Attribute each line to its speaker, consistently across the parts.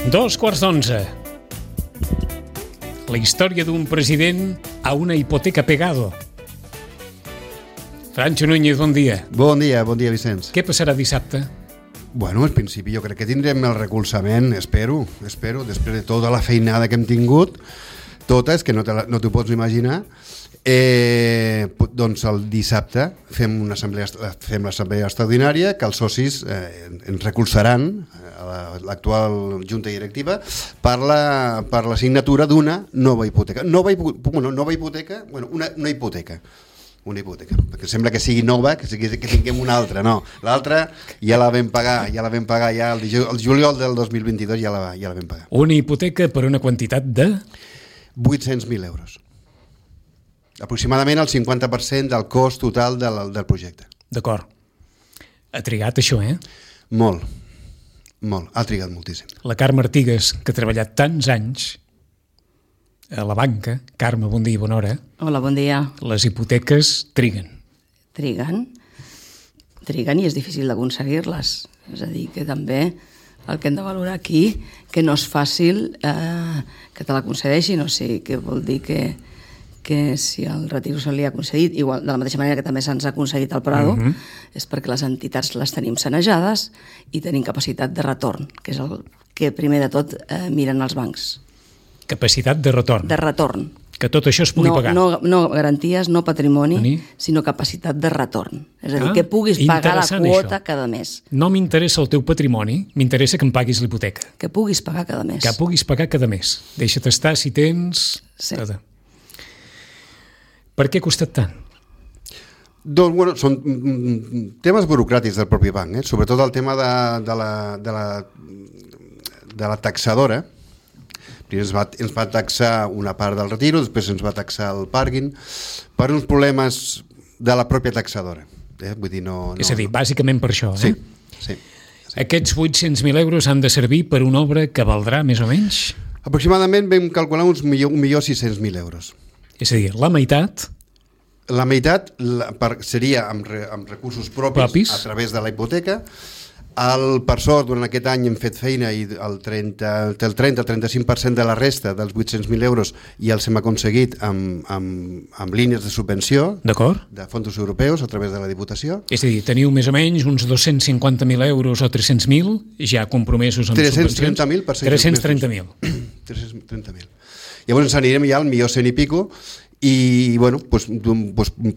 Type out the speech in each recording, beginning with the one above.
Speaker 1: 2:15. La història d'un president a una hipoteca pegado. Francho Núñez, bon dia.
Speaker 2: Bon dia, Vicenç.
Speaker 1: Què passarà dissabte?
Speaker 2: Bueno, al principi jo crec que tindrem el recolzament, espero, després de tota la feinada que hem tingut, tota, és que no t'ho pots imaginar. Doncs el dissabte fem l'assemblea extraordinària que els socis ens recolzaran a l'actual junta directiva per la signatura d'una nova hipoteca. Una hipoteca, perquè sembla que sigui nova, que tinguem una altra. No, l'altra ja la vam pagar ja el juliol del 2022 ja la vam pagar.
Speaker 1: Una hipoteca per una quantitat de
Speaker 2: 800.000 euros. Aproximadament el 50% del cost total del projecte.
Speaker 1: D'acord. Ha trigat això,
Speaker 2: Molt. Ha trigat moltíssim.
Speaker 1: La Carme Artigas, que ha treballat tants anys a la banca. Carme, bon dia i bona hora.
Speaker 3: Hola, bon dia.
Speaker 1: Les hipoteques triguen.
Speaker 3: Triguen i és difícil d'aconseguir-les. És a dir, que també el que hem de valorar aquí, que no és fàcil que te l'aconsegueixin, o sigui, que vol dir que si el retiro se li ha concedit, igual de la mateixa manera que també se'ns ha concedit al Prado, és perquè les entitats les tenim sanejades i tenim capacitat de retorn, que és el que primer de tot miren els bancs.
Speaker 1: Capacitat de retorn.
Speaker 3: De retorn.
Speaker 1: Que tot això es pugui pagar.
Speaker 3: No garanties, no patrimoni, sinó capacitat de retorn. És a dir, que puguis pagar la quota cada mes.
Speaker 1: No m'interessa el teu patrimoni, m'interessa que em paguis l'hipoteca.
Speaker 3: Que puguis pagar cada mes.
Speaker 1: Que puguis pagar cada mes. Deixa't estar si tens...
Speaker 3: Sí.
Speaker 1: Per què ha costat tant?
Speaker 2: Doncs, bueno, són temes burocràtics del propi banc, sobretot el tema de la taxadora. Primer ens va taxar una part del retiro, després ens va taxar el pàrquing, per uns problemes de la pròpia taxadora. Vull dir,
Speaker 1: és a dir, bàsicament per això,
Speaker 2: Sí.
Speaker 1: Aquests 800.000 euros han de servir per una obra que valdrà més o menys?
Speaker 2: Aproximadament vam calcular uns 1.600.000 euros.
Speaker 1: És a dir, la meitat...
Speaker 2: La meitat seria amb recursos propis a través de la hipoteca. Per sort, durant aquest any hem fet feina i el 30-35% de la resta dels 800.000 euros ja els hem aconseguit amb línies de subvenció de fons europeus a través de la Diputació.
Speaker 1: És a dir, teniu més o menys uns 250.000 euros o 300.000 ja compromesos amb subvencions.
Speaker 2: 330.000 per
Speaker 1: 330.000.
Speaker 2: 330.000. Llavors ens anirem ja al millor 100 i pico i bueno,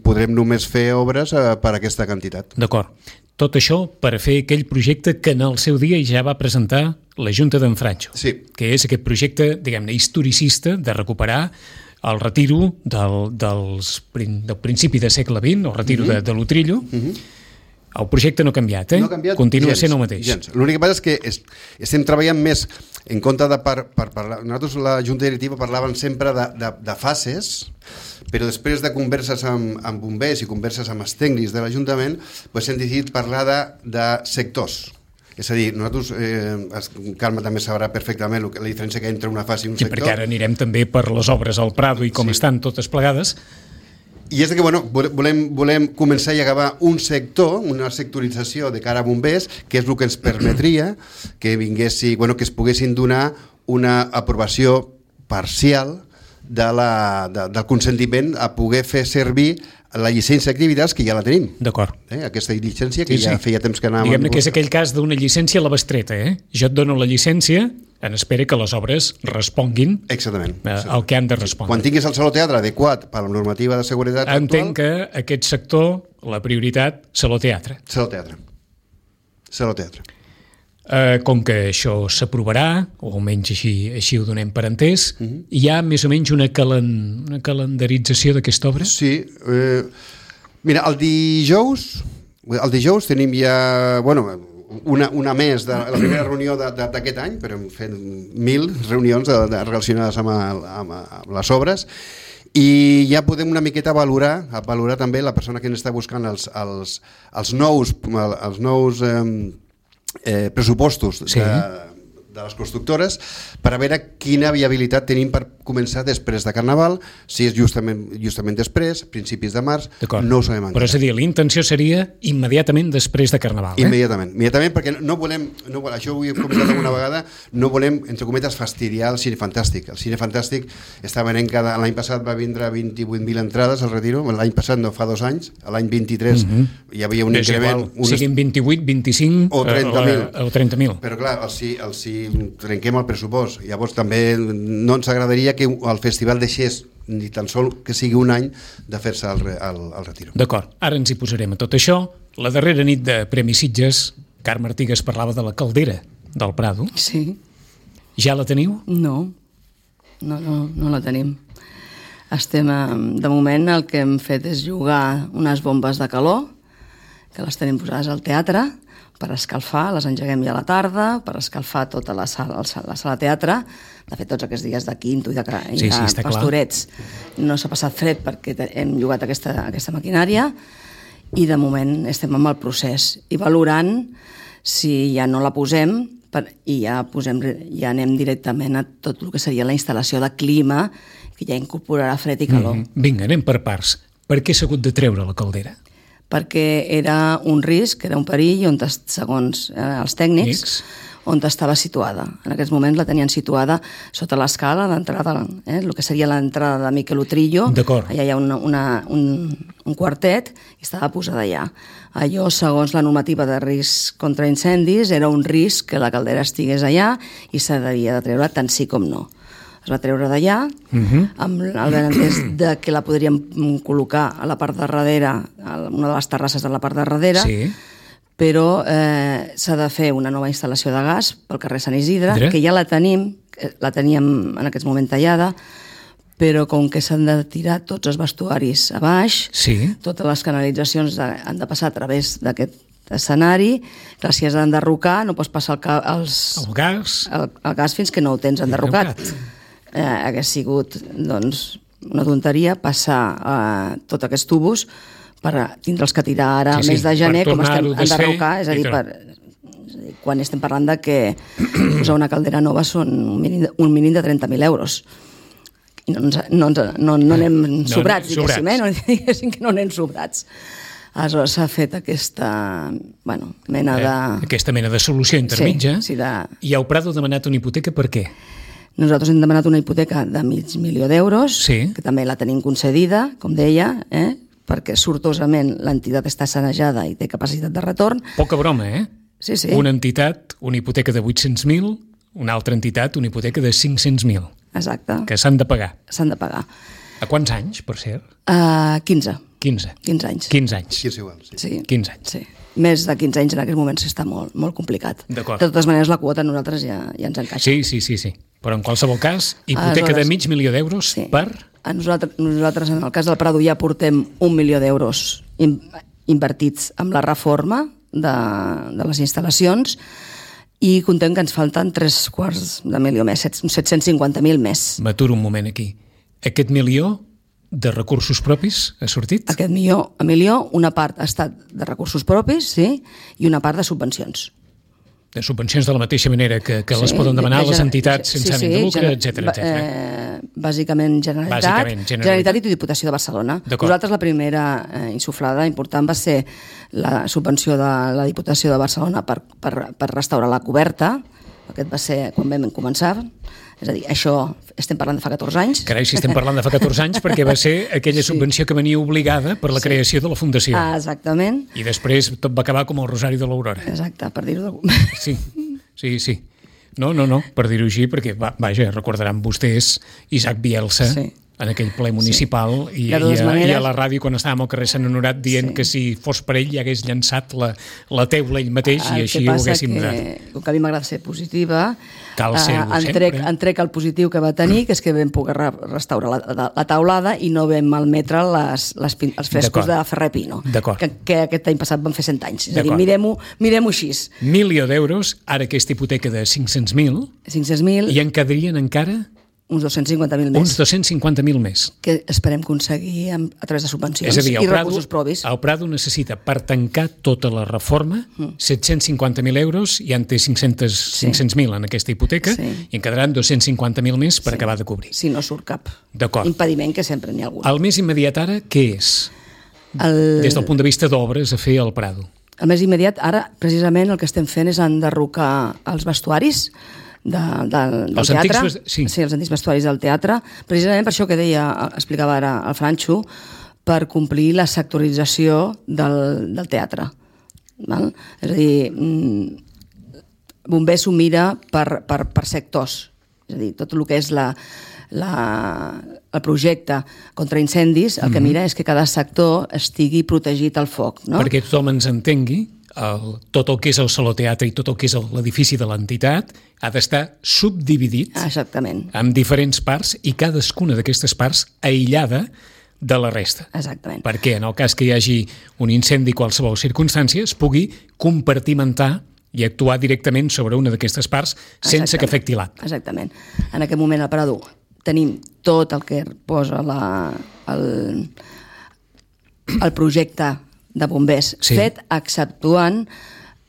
Speaker 2: podrem només fer obres per aquesta quantitat.
Speaker 1: D'acord. Tot això per fer aquell projecte que en el seu dia ja va presentar la Junta d'en Francho, que és aquest projecte, diguem-ne, historicista de recuperar el retiro del principi del segle XX, el retiro de l'Utrillo. El projecte no ha canviat,
Speaker 2: No ha canviat
Speaker 1: continua sent el mateix.
Speaker 2: L'únic que passa és que estem treballant més en compte de parlar. Nosaltres, la Junta Directiva, parlàvem sempre de fases, però després de converses amb bombers i converses amb els tècnics de l'Ajuntament, hem decidit parlar de sectors. És a dir, nosaltres, Carme també sabrà perfectament la diferència que hi ha entre una fase i un sector.
Speaker 1: Perquè ara anirem també per les obres al Prado i com estan totes plegades.
Speaker 2: I és que volem començar i acabar un sector, una sectorització de cara a bombers, que és el que ens permetria que es poguessin donar una aprovació parcial del consentiment a poder fer servir la llicència d'activitats que ja la tenim.
Speaker 1: D'acord.
Speaker 2: Aquesta llicència que ja feia temps que anàvem...
Speaker 1: Diguem-ne que és aquell cas d'una llicència a la bestreta, Jo et dono la llicència en espera que les obres responguin al que han de respondre.
Speaker 2: Quan tinguis el Saló Teatre adequat per la normativa de seguretat actual...
Speaker 1: Entenc que aquest sector, la prioritat, Saló Teatre.
Speaker 2: Saló Teatre.
Speaker 1: Com que això s'aprovarà, o almenys així ho donem per entès, hi ha més o menys una calendarització d'aquesta obra?
Speaker 2: Sí. Mira, el dijous tenim ja... una més de la primera reunió d'aquest any, però hem fet 1.000 reunions relacionades amb les obres, i ja podem una miqueta valorar també la persona que ens està buscant els nous pressupostos les constructores per a veure quina viabilitat tenim per començar després de Carnaval, si és justament després, principis de març, no ho sabem encara.
Speaker 1: Però és a dir, la intenció seria immediatament després de Carnaval,
Speaker 2: Immediatament, perquè no volem, això ho he comentat alguna vegada, no volem, entre cometes, fastidiar el Cine Fantàstic. El Cine Fantàstic està venent l'any passat va vindre 28.000 entrades al Retiro, l'any passat no, fa 2 anys, l'any 23 hi havia un increment...
Speaker 1: Siguin 28, 25
Speaker 2: o 30.000.
Speaker 1: 30.000.
Speaker 2: Però clar, si trenquem el pressupost, llavors també no ens agradaria que el festival deixés ni tan sol que sigui un any de fer-se al Retiro.
Speaker 1: D'acord, ara ens hi posarem a tot això. La darrera nit de Premi Sitges, Carme Artigas parlava de la caldera del Prado.
Speaker 3: Sí.
Speaker 1: Ja la teniu?
Speaker 3: No la tenim. De moment el que hem fet és jugar unes bombes de calor, que les tenim posades al teatre, per escalfar, les engeguem ja a la tarda, per escalfar tota la sala teatre. De fet, tots aquests dies de Quinto i de Pastorets no s'ha passat fred perquè hem jugat aquesta maquinària i de moment estem amb el procés i valorant si ja no la posem i ja anem directament a tot el que seria la instal·lació de clima que ja incorporarà fred i calor.
Speaker 1: Vinga, anem per parts. Per què s'ha hagut de treure la caldera?
Speaker 3: Perquè era un risc, era un perill, segons els tècnics, on estava situada. En aquests moments la tenien situada sota l'escala d'entrada, el que seria l'entrada de Miquel Utrillo.
Speaker 1: D'acord.
Speaker 3: Allà hi ha un quartet i estava posada allà. Allò, segons la normativa de risc contra incendis, era un risc que la caldera estigués allà i s'havia de treure tant sí com no. Es va treure d'allà, amb el benentès de que la podríem col·locar a la part de darrere, a una de les terrasses de la part de darrere, però s'ha de fer una nova instal·lació de gas pel carrer Sant Isidre, que ja la teníem en aquest moment tallada, però com que s'han de tirar tots els vestuaris a baix, totes les canalitzacions han de passar a través d'aquest escenari, clar, si has d'enderrocar no pots passar el gas fins que no ho tens enderrocat. Hagués sigut una tonteria passar tots aquests tubos per tindre'ls que tirar ara al mes de gener com estem enderrocar, és a dir, quan estem parlant de que posar una caldera nova són un mínim de 30.000 euros i no anem sobrats, diguéssim que no anem sobrats. Aleshores s'ha fet aquesta mena de...
Speaker 1: Aquesta mena de solució intermitja. I heu Prado demanat una hipoteca per què?
Speaker 3: Nosaltres hem demanat una hipoteca de $500.000, que també la tenim concedida, com deia, perquè sortosament l'entitat està sanejada i té capacitat de retorn.
Speaker 1: Poca broma,
Speaker 3: Sí.
Speaker 1: Una entitat, una hipoteca de 800.000, una altra entitat, una hipoteca de 500.000.
Speaker 3: Exacte.
Speaker 1: Que s'han de pagar.
Speaker 3: S'han de pagar.
Speaker 1: A quants anys, per cert?
Speaker 3: 15.
Speaker 1: 15 anys.
Speaker 2: 15 igual,
Speaker 3: sí.
Speaker 1: 15 anys.
Speaker 3: Sí. Més de 15 anys en aquests moments està molt, molt complicat.
Speaker 1: D'acord.
Speaker 3: De totes maneres, la quota a nosaltres ja ens encaixa.
Speaker 1: Sí. Però en qualsevol cas, hipoteca de $500.000 per...
Speaker 3: Nosaltres, en el cas del Prado, ja portem $1 milió invertits amb la reforma de les instal·lacions i contem que ens falten $750.000 més, 750.000 més.
Speaker 1: M'aturo un moment aquí. Aquest milió de recursos propis ha sortit?
Speaker 3: Aquest milió, una part ha estat de recursos propis, sí, i una part de subvencions.
Speaker 1: De subvencions de la mateixa manera que les poden demanar les entitats sense ànim de lucre, etc.
Speaker 3: Bàsicament Generalitat i Diputació de Barcelona. Nosaltres la primera insuflada important va ser la subvenció de la Diputació de Barcelona per restaurar la coberta. Aquest va ser quan vam començar. És a dir, això estem parlant de fa 14 anys.
Speaker 1: Carai, si estem parlant de fa 14 anys, perquè va ser aquella subvenció que venia obligada per la creació de la Fundació.
Speaker 3: Exactament.
Speaker 1: I després tot va acabar com el Rosari de l'Aurora.
Speaker 3: Exacte, per dir-ho d'alguna manera.
Speaker 1: Sí. No, per dir-ho així, perquè, vaja, recordaran vostès Isaac Bielsa, en aquell ple municipal i a la ràdio quan estàvem al carrer Sant Honorat dient que si fos per ell ja hagués llançat la teula ell mateix i així ho haguéssim donat.
Speaker 3: Com que a mi m'agrada ser positiva,
Speaker 1: cal ser-ho sempre.
Speaker 3: Entrec el positiu que va tenir, que és que vam poder restaurar la taulada i no vam malmetre els frescos de Ferrer Pino, que aquest any passat van fer 100 anys. És a dir, mirem-ho així.
Speaker 1: $1 milió, ara aquesta hipoteca de 500.000, i en quedarien encara
Speaker 3: Uns 250.000 més.
Speaker 1: Uns 250.000 més.
Speaker 3: Que esperem aconseguir a través de subvencions i recursos propis.
Speaker 1: El Prado necessita, per tancar tota la reforma, 750.000 euros, ja en té 500.000 en aquesta hipoteca, i en quedaran 250.000 més per acabar de cobrir.
Speaker 3: Si no surt cap
Speaker 1: impediment,
Speaker 3: que sempre n'hi ha algun.
Speaker 1: El més immediat ara, què és? Des del punt de vista d'obres a fer al Prado.
Speaker 3: El més immediat, ara, precisament, el que estem fent és enderrocar els vestuaris del teatre.
Speaker 1: Sí,
Speaker 3: els antics vestuaris del teatre, precisament per això que explicava ara el Franxo, per complir la sectorització del teatre. Val? És a dir, Bombers s'ho mira per sectors. És a dir, tot el que és el projecte contra incendis, el que mira és que cada sector estigui protegit al foc. No?
Speaker 1: Perquè tothom ens entengui, tot el que és el Saló Teatre i tot el que és l'edifici de l'entitat ha d'estar subdividit en diferents parts i cadascuna d'aquestes parts aïllada de la resta.
Speaker 3: Exactament.
Speaker 1: Perquè en el cas que hi hagi un incendi, qualsevol circumstància, es pugui compartimentar i actuar directament sobre una d'aquestes parts sense que afecti l'altra.
Speaker 3: Exactament. En aquest moment al Prado tenim tot el que posa el projecte de bombers fet, exceptuant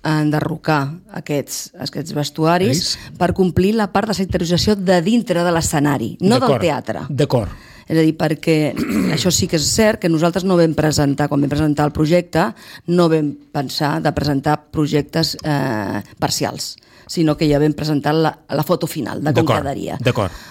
Speaker 3: enderrocar aquests vestuaris per complir la part de sectorització de dintre de l'escenari, no del teatre.
Speaker 1: D'acord.
Speaker 3: És a dir, perquè això sí que és cert que nosaltres no vam presentar, quan vam presentar el projecte, no vam pensar de presentar projectes parcials, sinó que ja vam presentar la foto final de com quedaria.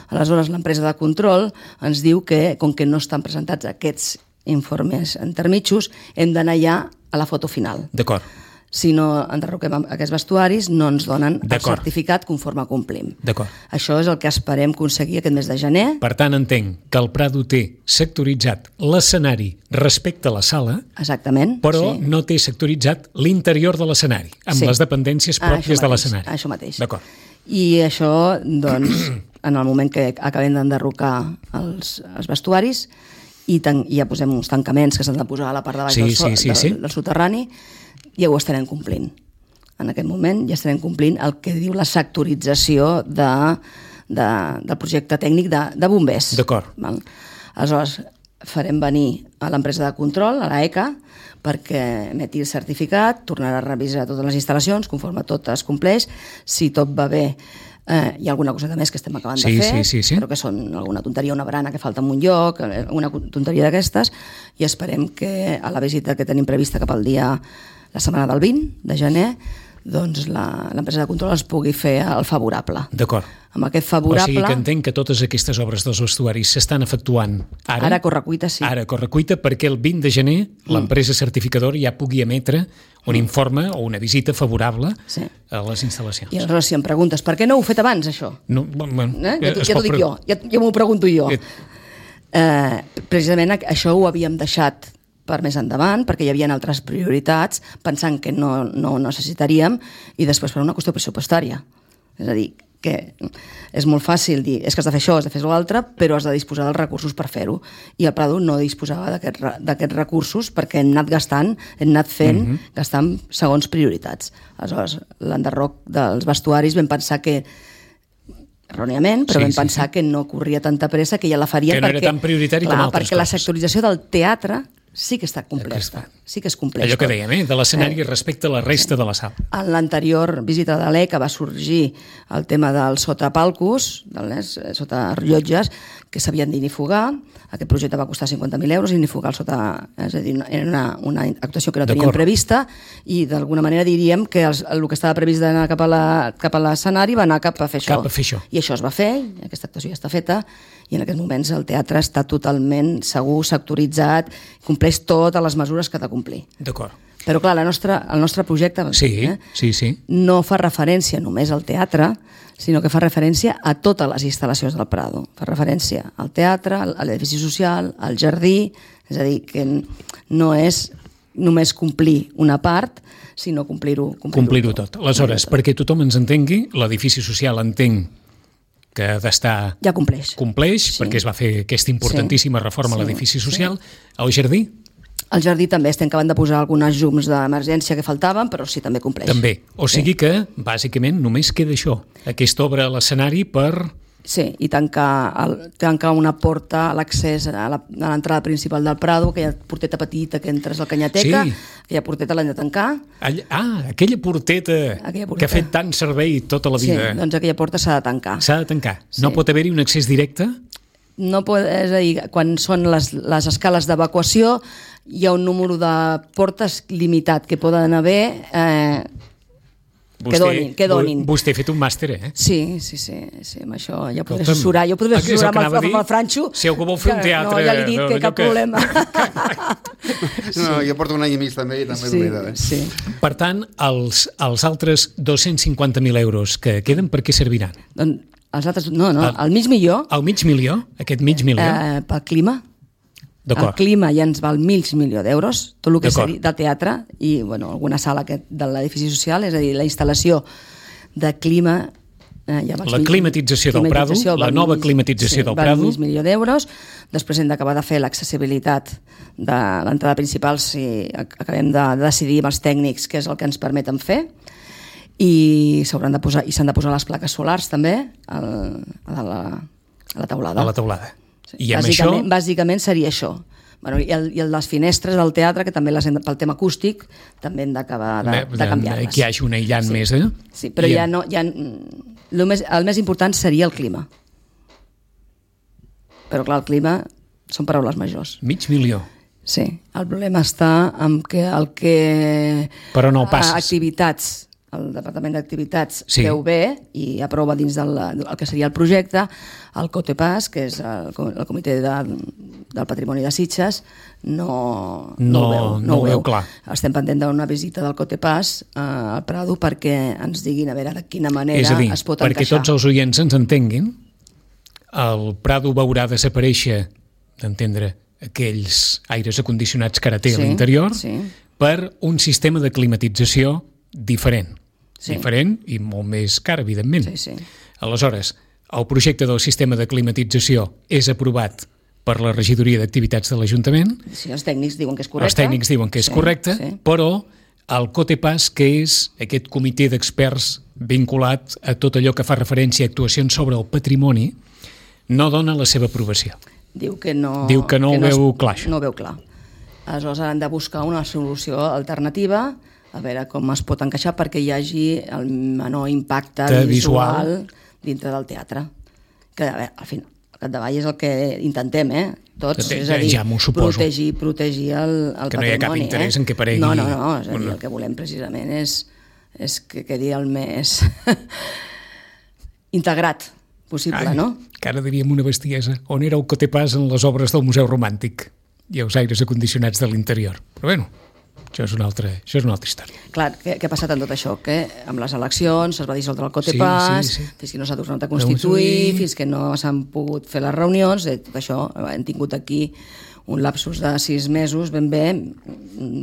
Speaker 3: Aleshores, l'empresa de control ens diu que, com que no estan presentats aquests informes intermitjos, hem d'anar ja a la foto final.
Speaker 1: D'acord.
Speaker 3: Si no enderroquem aquests vestuaris, no ens donen el certificat conforme complim.
Speaker 1: D'acord.
Speaker 3: Això és el que esperem aconseguir aquest mes de gener.
Speaker 1: Per tant, entenc que el Prado té sectoritzat l'escenari respecte a la sala,
Speaker 3: exactament,
Speaker 1: però no té sectoritzat l'interior de l'escenari, amb les dependències pròpies de l'escenari.
Speaker 3: Això mateix.
Speaker 1: D'acord.
Speaker 3: I això, doncs, en el moment que acabem d'enderrocar els vestuaris, i ja posem uns tancaments que s'han de posar a la part de baix del soterrani, ja ho estarem complint. En aquest moment ja estarem complint el que diu la sectorització del projecte tècnic de bombers.
Speaker 1: D'acord.
Speaker 3: Aleshores, farem venir a l'empresa de control, a l'ECA, perquè emeti el certificat, tornarà a revisar totes les instal·lacions, conforme tot es compleix. Si tot va bé, hi ha alguna cosa més que estem acabant de fer, però que són alguna tonteria, una barana que falta en un lloc, una tonteria d'aquestes, i esperem que a la visita que tenim prevista cap al dia, la setmana del 20 de gener, doncs l'empresa de control es pugui fer el favorable.
Speaker 1: D'acord.
Speaker 3: Amb aquest favorable...
Speaker 1: O sigui que entenc que totes aquestes obres dels vestuaris s'estan efectuant ara.
Speaker 3: Ara a correcuita, sí.
Speaker 1: Ara a correcuita, perquè el 20 de gener l'empresa certificadora ja pugui emetre un informe o una visita favorable a les instal·lacions.
Speaker 3: I aleshores, si em preguntes, per què no ho he fet abans, això?
Speaker 1: No,
Speaker 3: ja t'ho dic jo, ja m'ho pregunto jo. Precisament això ho havíem deixat per més endavant, perquè hi havia altres prioritats, pensant que no necessitaríem, i després per una qüestió pressupostària. És a dir, que és molt fàcil dir, és que has de fer això, has de fer l'altre, però has de disposar dels recursos per fer-ho. I el Prado no disposava d'aquests recursos perquè hem anat gastant, gastant segons prioritats. Aleshores, l'enderroc dels vestuaris vam pensar que erròniament, però vam pensar que no corria tanta pressa, que ja la faríem
Speaker 1: que no era tan prioritari com altres
Speaker 3: perquè la sectorització del teatre sí que està completa. Sí que es compleix.
Speaker 1: Allò que dèiem, de l'escenari respecte a la resta de la sala.
Speaker 3: En l'anterior visita de l'ECA va sorgir el tema del sotapalcos, sota rellotges, que s'havien d'inifugar. Aquest projecte va costar 50.000 euros, inifugar el sota... És a dir, era una actuació que no teníem prevista, i d'alguna manera diríem que el que estava previst d'anar cap a l'escenari va anar cap a fer això. I això es va fer, aquesta actuació ja està feta, i en aquests moments el teatre està totalment segur, sectoritzat, compleix totes les mesures que ha de complir.
Speaker 1: D'acord.
Speaker 3: Però clar, el nostre projecte no fa referència només al teatre, sinó que fa referència a totes les instal·lacions del Prado. Fa referència al teatre, a l'edifici social, al jardí, és a dir, que no és només complir una part, sinó complir-ho
Speaker 1: tot. Aleshores, perquè tothom ens entengui, l'edifici social entenc que ha d'estar...
Speaker 3: Ja compleix,
Speaker 1: perquè es va fer aquesta importantíssima reforma a l'edifici social. El jardí?
Speaker 3: El jardí també estem acabant de posar algunes llums d'emergència que faltaven, però sí, també compleix.
Speaker 1: També. O sigui que, bàsicament, només queda això. Aquesta obra a l'escenari per
Speaker 3: Sí, i tancar una porta a l'accés a l'entrada principal del Prado, aquella porteta petita que entres al Canyateca, aquella porteta l'hem de tancar.
Speaker 1: Aquella porteta que ha fet tant servei tota la vida.
Speaker 3: Sí, doncs aquella porta s'ha de tancar.
Speaker 1: S'ha de tancar. No pot haver-hi un accés directe?
Speaker 3: No pot, és a dir, quan són les escales d'evacuació hi ha un número de portes limitat que poden haver... que donin.
Speaker 1: Vostè ha fet un màster, eh?
Speaker 3: Sí, amb això ja podré assessorar. Jo podré assessorar amb el Franxo.
Speaker 1: Si algú vol fer un teatre...
Speaker 3: No, ja li he dit que cap problema.
Speaker 2: No, jo porto un any i mig també i també m'oblida.
Speaker 3: Sí.
Speaker 1: Per tant, els altres 250.000 euros que queden, per què serviran?
Speaker 3: Doncs els altres... No, el mig milió.
Speaker 1: El mig milió? Aquest mig milió?
Speaker 3: Pel clima.
Speaker 1: D'acord.
Speaker 3: El clima ja ens val mig milió d'euros, tot el que s'ha dit de teatre i alguna sala de l'edifici social, és a dir, la instal·lació de clima...
Speaker 1: La climatització del Prado, la nova climatització del Prado.
Speaker 3: Val mig milió d'euros. Després hem d'acabar de fer l'accessibilitat de l'entrada principal si acabem de decidir amb els tècnics què és el que ens permeten fer. I s'han de posar les plaques solars també a la teulada.
Speaker 1: A la teulada.
Speaker 3: I bàsicament seria això. I les finestres del teatre, que també pel tema acústic també hem d'acabar de canviar-les.
Speaker 1: Que hi hagi un aïllant més, eh?
Speaker 3: Sí, però el més important seria el clima. Però clar, el clima són paraules majors.
Speaker 1: Mig milió.
Speaker 3: Sí, el problema està en que
Speaker 1: Però no passes.
Speaker 3: Activitats, el Departament d'Activitats veu bé i aprova dins del que seria el projecte, el COTEPAS, que és el Comitè del Patrimoni de Sitges, no ho veu clar. Estem pendent d'una visita del COTEPAS al Prado perquè ens diguin a veure de quina manera es pot encaixar. És a dir,
Speaker 1: perquè tots els oients ens entenguin, el Prado veurà desaparèixer, d'entendre, aquells aires acondicionats que ara té a l'interior per un sistema de climatització diferent. Diferent i molt més car, evidentment. Aleshores, el projecte del sistema de climatització és aprovat per la regidoria d'activitats de l'Ajuntament.
Speaker 3: Sí, els tècnics diuen que és correcte.
Speaker 1: Els tècnics diuen que és correcte, però el COTEPAS, que és aquest comitè d'experts vinculat a tot allò que fa referència a actuacions sobre el patrimoni, no dona la seva aprovació.
Speaker 3: Diu que no
Speaker 1: ho veu clar.
Speaker 3: No ho veu clar. Aleshores han de buscar una solució alternativa, a veure com es pot encaixar perquè hi hagi el menor impacte visual dintre del teatre. Que al capdavall és el que intentem, tots, és a dir, protegir el patrimoni.
Speaker 1: Que no hi ha cap interès en què paregui.
Speaker 3: No, és a dir, el que volem precisament és que quedi el més integrat possible, no?
Speaker 1: Que ara diríem una bestiesa. On era el COTEPAS en les obres del Museu Romàntic i els aires acondicionats de l'interior? Però bueno, això és una altra història.
Speaker 3: Clar, què ha passat amb tot això? Que amb les eleccions es va dissoldre el COTEPAS, fins que no s'ha tornat a constituir, fins que no s'han pogut fer les reunions, tot això hem tingut aquí un lapsus de 6 mesos ben bé,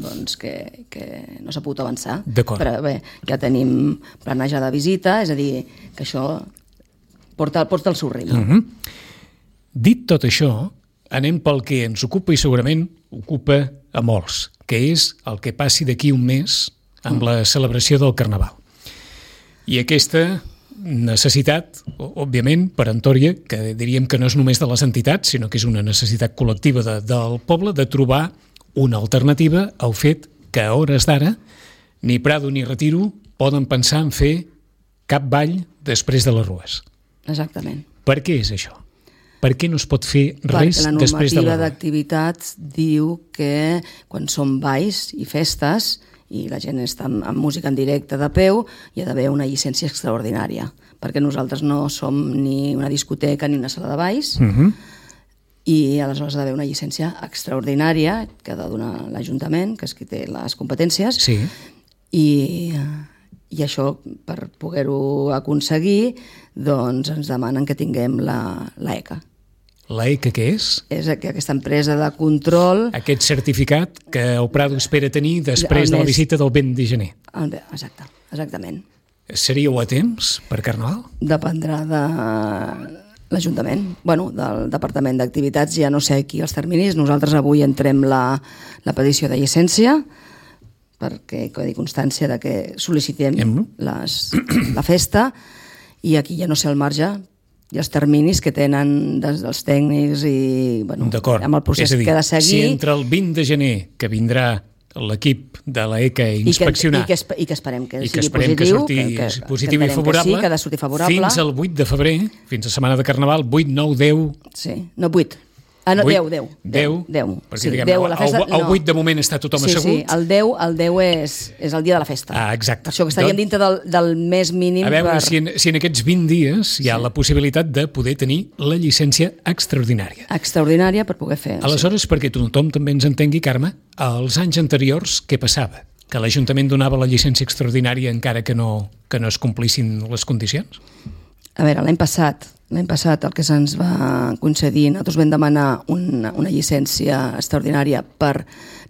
Speaker 3: doncs que no s'ha pogut avançar.
Speaker 1: D'acord.
Speaker 3: Però bé, ja tenim planejada visita, és a dir, que això porta el seu ritme.
Speaker 1: Dit tot això, anem pel que ens ocupa i segurament ocupa a molts, que és el que passi d'aquí un mes amb la celebració del Carnaval. I aquesta necessitat, òbviament, peremptòria, que diríem que no és només de les entitats, sinó que és una necessitat col·lectiva del poble, de trobar una alternativa al fet que a hores d'ara ni Prado ni Retiro poden pensar en fer cap ball després de les rues.
Speaker 3: Exactament.
Speaker 1: Per què és això? Per què no es pot fer res després de la rua?
Speaker 3: Perquè la normativa d'activitats diu que quan són balls i festes i la gent està amb música en directe de peu, hi ha d'haver una llicència extraordinària, perquè nosaltres no som ni una discoteca ni una sala de balls, i aleshores ha d'haver una llicència extraordinària que ha de donar l'Ajuntament, que és qui té les competències, i això, per poder-ho aconseguir, doncs ens demanen que tinguem l'ECA.
Speaker 1: L'ECA què és?
Speaker 3: És aquesta empresa de control...
Speaker 1: Aquest certificat que el Prado espera tenir després de la visita del 20 de gener.
Speaker 3: Exactament.
Speaker 1: Seríeu a temps per Carnaval?
Speaker 3: Dependrà de l'Ajuntament, del Departament d'Activitats, ja no sé aquí els terminis. Nosaltres avui entrem la petició de llicència perquè quedi constància de que sol·licitem la festa, i aquí ja no sé el marge i els terminis que tenen dels tècnics i amb el procés que ha de seguir.
Speaker 1: Si entre el 20 de gener, que vindrà l'equip de l'ECA a inspeccionar
Speaker 3: i que esperem que sigui
Speaker 1: positiu i favorable,
Speaker 3: que ha de sortir favorable,
Speaker 1: fins al 8 de febrer, fins a setmana de Carnaval, 8, 9, 10...
Speaker 3: Sí, no 8. No, 10.
Speaker 1: Perquè,
Speaker 3: sí,
Speaker 1: diguem,
Speaker 3: 10 a la festa,
Speaker 1: el 8 de moment està tothom assegut.
Speaker 3: Sí, el 10 és el dia de la festa.
Speaker 1: Exacte.
Speaker 3: Per això que estaríem dintre del mes mínim.
Speaker 1: A veure si en aquests 20 dies hi ha la possibilitat de poder tenir la llicència extraordinària.
Speaker 3: Extraordinària per poder fer.
Speaker 1: Aleshores, perquè tothom també ens entengui, Carme, als anys anteriors què passava? Que l'Ajuntament donava la llicència extraordinària encara que no es complissin les condicions?
Speaker 3: A veure, l'any passat el que se'ns va concedir, nosaltres vam demanar una llicència extraordinària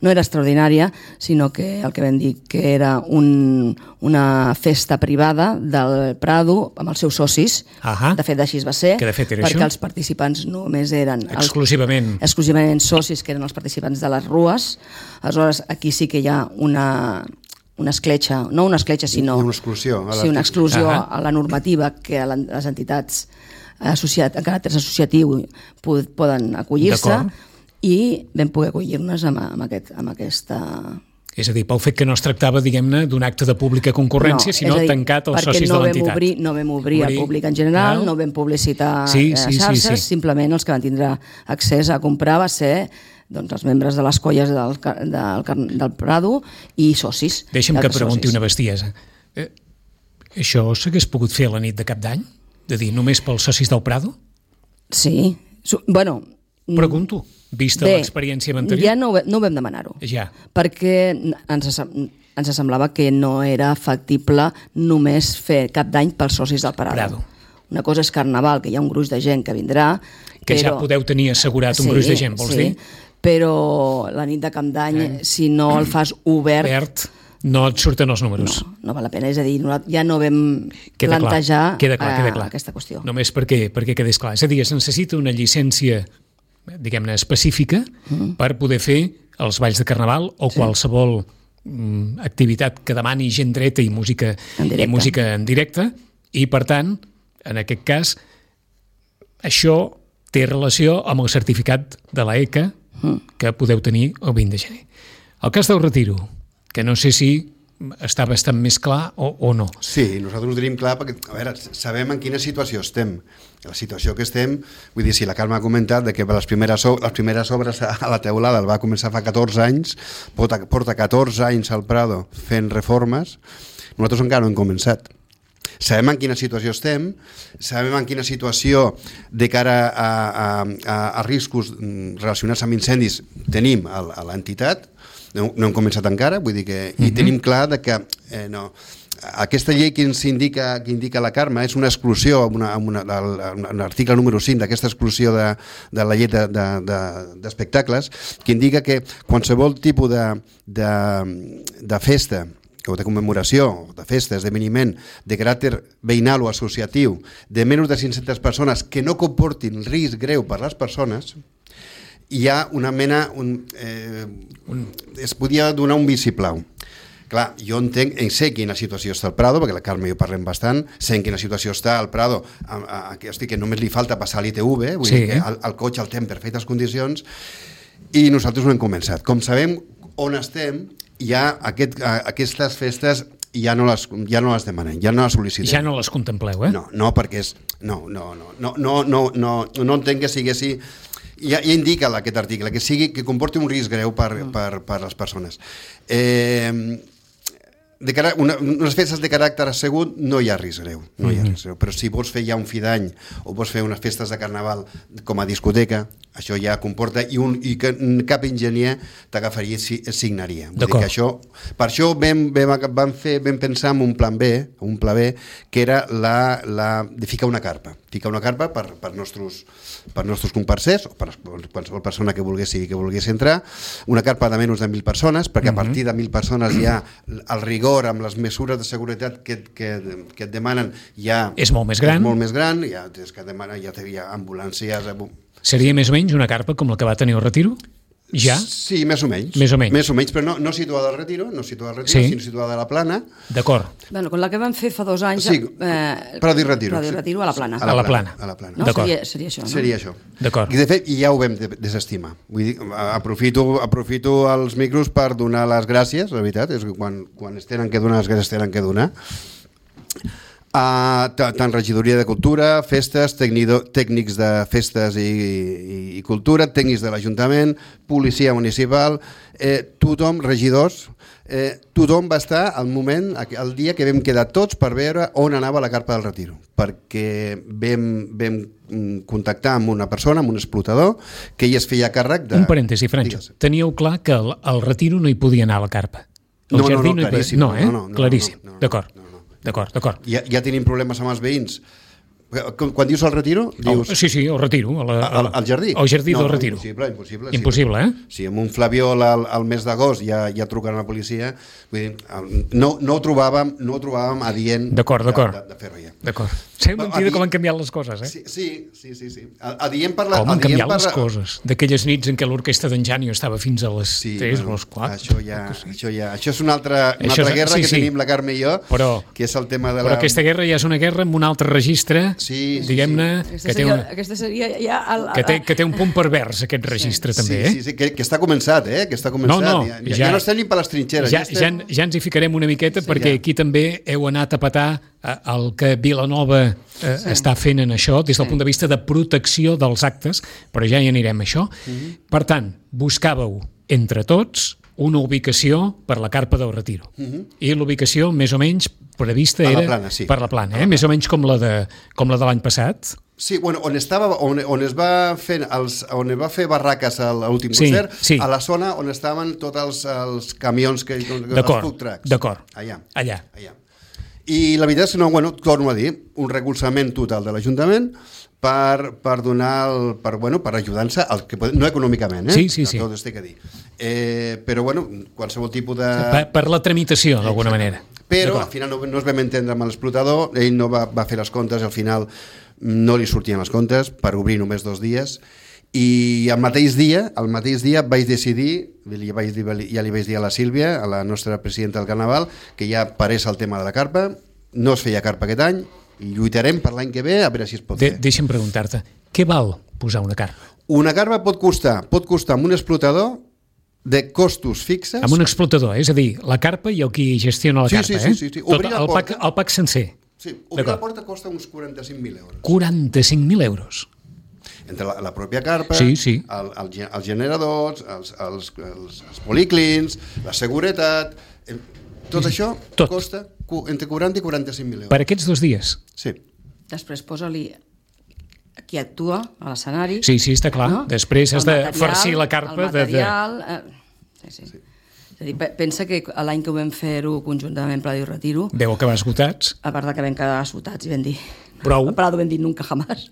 Speaker 3: no era extraordinària, sinó que el que vam dir que era una festa privada del Prado amb els seus socis. De fet, així va ser, perquè els participants només eren exclusivament socis, que eren els participants de les rues. Aleshores, aquí sí que hi ha una escletxa, no una escletxa, sinó
Speaker 2: una exclusió
Speaker 3: a la normativa que les entitats en caràcter associatiu poden acollir-se, i vam poder acollir-nos amb aquesta...
Speaker 1: És a dir, pel fet que no es tractava, diguem-ne, d'un acte de pública concurrència, sinó tancat als socis de l'entitat.
Speaker 3: Perquè no vam obrir al públic en general, no vam publicitar xarxes, simplement els que van tindre accés a comprar va ser els membres de les colles del Prado i socis.
Speaker 1: Deixa'm que pregunti una bestiesa. Això s'hagués pogut fer a la nit de Cap d'Any? De dir, només pels socis del Prado?
Speaker 3: Sí.
Speaker 1: Pregunto, vista l'experiència anterior.
Speaker 3: Ja no vam demanar-ho.
Speaker 1: Ja.
Speaker 3: Perquè ens semblava que no era factible només fer Cap d'Any pels socis del Prado. Una cosa és Carnaval, que hi ha un gruix de gent que vindrà...
Speaker 1: Que ja podeu tenir assegurat un gruix de gent, vols dir?
Speaker 3: Però la nit de Cap d'Any, si no el fas obert,
Speaker 1: no et surten els números.
Speaker 3: No val la pena, és a dir, ja no vam plantejar aquesta qüestió.
Speaker 1: Només perquè quedés clar. És a dir, es necessita una llicència, diguem-ne, específica per poder fer els balls de Carnaval o qualsevol activitat que demani gent dreta i música en directe, i per tant, en aquest cas, això té relació amb el certificat de l'ECA que podeu tenir el 20 de gener. El cas del retiro, que no sé si està bastant més clar o no.
Speaker 2: Sí, nosaltres ho tenim clar perquè, a veure, sabem en quina situació estem. La situació que estem, vull dir, si la Carme ha comentat que les primeres obres a la teulada el va començar fa 14 anys, porta 14 anys al Prado fent reformes, nosaltres encara no hem començat. Sabem en quina situació estem, sabem en quina situació de cara a riscos relacionats amb incendis tenim a l'entitat. No hem començat encara, vull dir que i tenim clar que aquesta llei que indica la Carme és una exclusió, l'article número 5 d'aquesta exclusió de la llei d'espectacles, que indica que qualsevol tipus de festa o de commemoració, de festa, esdeveniment de caràcter veïnal o associatiu de menys de 500 persones que no comportin risc greu per les persones, hi ha una mena... es podia donar un vistiplau. Clar, jo entenc, sé quina situació està el Prado, perquè la Carme i jo parlem bastant, sé en quina situació està el Prado, que només li falta passar l'ITV, vull dir que el cotxe el té en perfectes condicions, i nosaltres no hem començat. Com sabem on estem, ja aquestes festes ja no les demanem, ja no les sol·licitem.
Speaker 1: Ja no les contempleu, eh?
Speaker 2: No, perquè és... No entenc que sigui així. Ja indica aquest article, que comporti un risc greu per les persones. Unes festes de caràcter assegut no hi ha risc greu, però si vols fer ja un fi d'any o vols fer unes festes de Carnaval com a discoteca, això ja comporta i que cap enginyer t'agafaria i signaria. Vull dir que això, per això vam pensar en un pla B, que era de ficar una carpa per nostres comparsers o per qualsevol persona que volgués entrar, una carpa de menys de 1.000 persones, perquè a partir de 1.000 persones ja el rigor amb les mesures de seguretat que et demanen ja
Speaker 1: és molt més gran,
Speaker 2: ja tens que demanar, ja hi ha ambulàncies.
Speaker 1: Seria més o menys una carpa com la que va tenir el Retiro? Ja?
Speaker 2: Sí, més o menys.
Speaker 1: Més o menys.
Speaker 2: Més o menys, però no situada al Retiro, sinó situada a la Plana.
Speaker 1: D'acord.
Speaker 3: Bueno, con la que vam fer fa 2 anys...
Speaker 2: Sí, Prado i Retiro.
Speaker 3: Prado i Retiro a la Plana.
Speaker 1: A la Plana.
Speaker 3: No? Seria això, no?
Speaker 2: Seria això.
Speaker 1: D'acord.
Speaker 2: I de fet, ja ho vam desestimar. Vull dir, aprofito els micros per donar les gràcies, la veritat, és que quan es tenen que donar, les gràcies es tenen que donar. Tant regidoria de cultura, festes, tècnics de festes i cultura, tècnics de l'Ajuntament, policia municipal, tothom, regidors, tothom va estar el dia que vam quedar tots per veure on anava la carpa del Retiro, perquè vam contactar amb una persona, amb un explotador, que ell es feia càrrec de...
Speaker 1: Un parèntesi, Francho. Teníeu clar que al Retiro no hi podia anar la carpa?
Speaker 2: No, claríssim.
Speaker 1: No, claríssim. D'acord. D'acord.
Speaker 2: Ja tenim problemes amb els veïns. Quan dius el Retiro, dius...
Speaker 1: Sí, el Retiro.
Speaker 2: Al jardí?
Speaker 1: El jardí del Retiro.
Speaker 2: Impossible.
Speaker 1: Impossible, eh?
Speaker 2: Si amb un flabiol al mes d'agost ja truquen a la policia, vull dir, no ho trobàvem adient de fer-ho ja.
Speaker 1: D'acord. Sé mentida com han canviat les coses, eh?
Speaker 2: Sí. Adient per la...
Speaker 1: Com han canviat les coses. D'aquelles nits en què l'orquestra d'en Janio estava fins a les 3 o les 4.
Speaker 2: Això és una altra guerra que tenim la Carme i jo, que és el tema de la...
Speaker 1: Però aquesta guerra ja és una guerra amb un altre registre, diguem-ne,
Speaker 3: aquesta seria ja...
Speaker 1: Que té un punt pervers, aquest registre, també, eh?
Speaker 2: Sí, que està començat, que està començat. Ja no estem ni per les trinxeres.
Speaker 1: Ja ens hi ficarem una miqueta, perquè aquí també heu anat a petar el que Vilanova està fent en això, des del punt de vista de protecció dels actes, però ja hi anirem a això. Per tant, buscàveu entre tots una ubicació per la carpa del Retiro. I l'ubicació, més o menys, prevista era per la Plana, més o menys com la de l'any passat.
Speaker 2: Sí, bueno, on es va fer barraques a l'últim concert, a la zona on estaven tots els camions, els food trucks.
Speaker 1: D'acord,
Speaker 2: allà. I la veritat és que, torno a dir, un recolzament total de l'Ajuntament per donar, per ajudar-se, no econòmicament,
Speaker 1: Sí.
Speaker 2: Tot es té que dir. Però, qualsevol tipus de...
Speaker 1: Per la tramitació, d'alguna manera.
Speaker 2: Però, al final, no es vam entendre amb l'explotador, ell no va fer les comptes, al final no li sortien les comptes, per obrir només 2 dies, i el mateix dia vaig decidir, ja li vaig dir a la Sílvia, a la nostra presidenta del Carnaval, que ja parés el tema de la carpa, no es feia carpa aquest any, i lluitarem per l'any que ve a veure si es pot fer.
Speaker 1: Deixa'm preguntar-te, què val posar una carpa?
Speaker 2: Una carpa pot costar amb un explotador de costos fixes...
Speaker 1: Amb un explotador, és a dir, la carpa i el qui gestiona la carpa,
Speaker 2: Sí.
Speaker 1: El pack sencer.
Speaker 2: Sí, obrir la porta costa uns 45.000 euros.
Speaker 1: 45.000 euros?
Speaker 2: Entre la pròpia carpa,
Speaker 1: els
Speaker 2: generadors, els policlins, la seguretat... Tot això costa entre 40 i 45.000 euros.
Speaker 1: Per aquests 2 dies?
Speaker 2: Sí.
Speaker 3: Després posa-li qui actua a l'escenari.
Speaker 1: Sí, està clar. No? Després has de farcir la carpa.
Speaker 3: El material... Sí. És a dir, pensa que l'any que ho vam fer-ho conjuntament Prado i Retiro...
Speaker 1: Deu acabar esgotats.
Speaker 3: A part que vam quedar esgotats i vam dir...
Speaker 1: Prou.
Speaker 3: A Prado vam dir nunca jamás.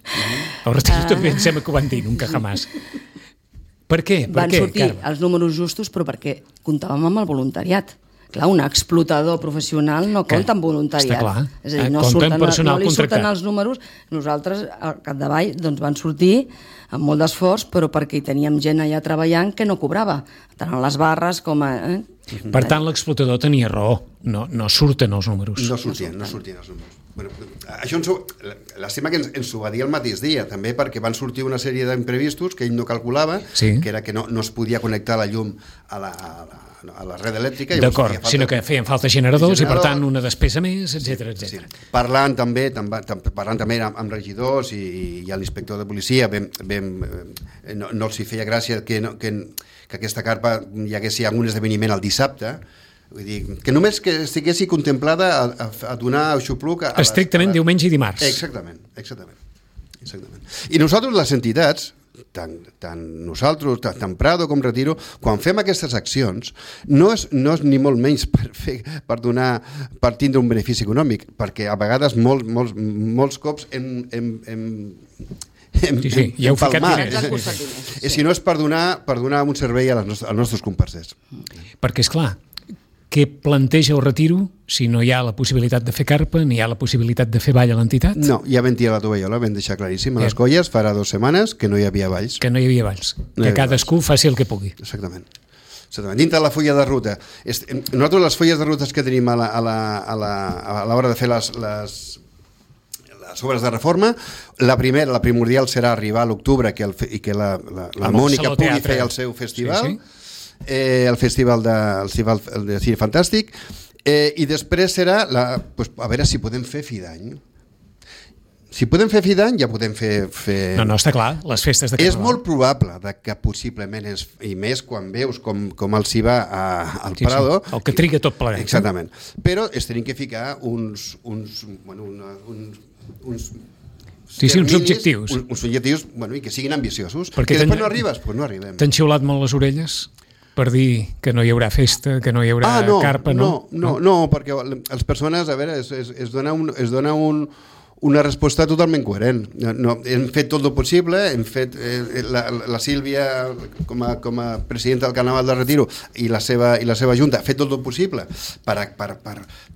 Speaker 1: El Retiro també em sembla que ho van dir, nunca jamás. Per què?
Speaker 3: Van sortir els números justos, però perquè comptàvem amb el voluntariat. Clar, un explotador professional no compta amb voluntariat.
Speaker 1: Està clar.
Speaker 3: És a dir, no li surten els números. Nosaltres, al capdavall, van sortir amb molt d'esforç, però perquè hi teníem gent allà treballant que no cobrava, tant a les barres com a...
Speaker 1: Per tant, l'explotador tenia raó. No surten els números.
Speaker 2: No sortien els números. Això l'estima que ens ho va dir el mateix dia, també perquè van sortir una sèrie d'imprevistos que ell no calculava, que era que no es podia connectar la llum a la red elèctrica.
Speaker 1: D'acord, sinó que feien falta generadors i per tant una despesa més, etc.
Speaker 2: Sí. Parlant també amb regidors i l'inspector de policia, no els hi feia gràcia que aquesta carpa hi hagués algun esdeveniment el dissabte. Vull dir, que només que estiguessi contemplada a donar xupluc
Speaker 1: estrictament diumenge i dimarts.
Speaker 2: Exactament. I nosaltres, les entitats, tant nosaltres, tant Prado com Retiro, quan fem aquestes accions, no és ni molt menys per tindre un benefici econòmic, perquè a vegades molts cops
Speaker 1: ja heu ficat diners.
Speaker 2: Si no és per donar un servei als nostres comparsers.
Speaker 1: Perquè, esclar, què planteja el retiro si no hi ha la possibilitat de fer carpa, ni hi ha la possibilitat de fer ball a l'entitat?
Speaker 2: No, ja vam tirar la tovallola, vam deixar claríssim a les colles farà 2 setmanes que no hi havia balls.
Speaker 1: Que no hi havia balls, que cadascú faci el que pugui.
Speaker 2: Exactament. Dintre la fulla de ruta. Nosaltres les fulles de rutes que tenim a l'hora de fer les obres de reforma, la primordial serà arribar a l'octubre i que la Mònica pugui fer el seu festival, el festival del Cine Fantàstic, i després serà a veure si podem fer fi d'any. Si podem fer fi d'any, ja podem fer...
Speaker 1: No, està clar, les festes de Carnaval.
Speaker 2: És molt probable que possiblement, i més quan veus com els hi va al Prado...
Speaker 1: El que triga tot plegat.
Speaker 2: Exactament. Però es tenim que ficar uns
Speaker 1: objectius.
Speaker 2: Uns objectius i que siguin ambiciosos. Perquè que després no arribes, doncs no arribem.
Speaker 1: T'han xiulat molt les orelles per dir que no hi haurà festa, que no hi haurà carpa, no?
Speaker 2: No, perquè les persones, a veure, es dona una resposta totalment coherent. Hem fet tot el possible, hem fet la Sílvia com a presidenta del Carnaval de Retiro i la seva junta ha fet tot el possible per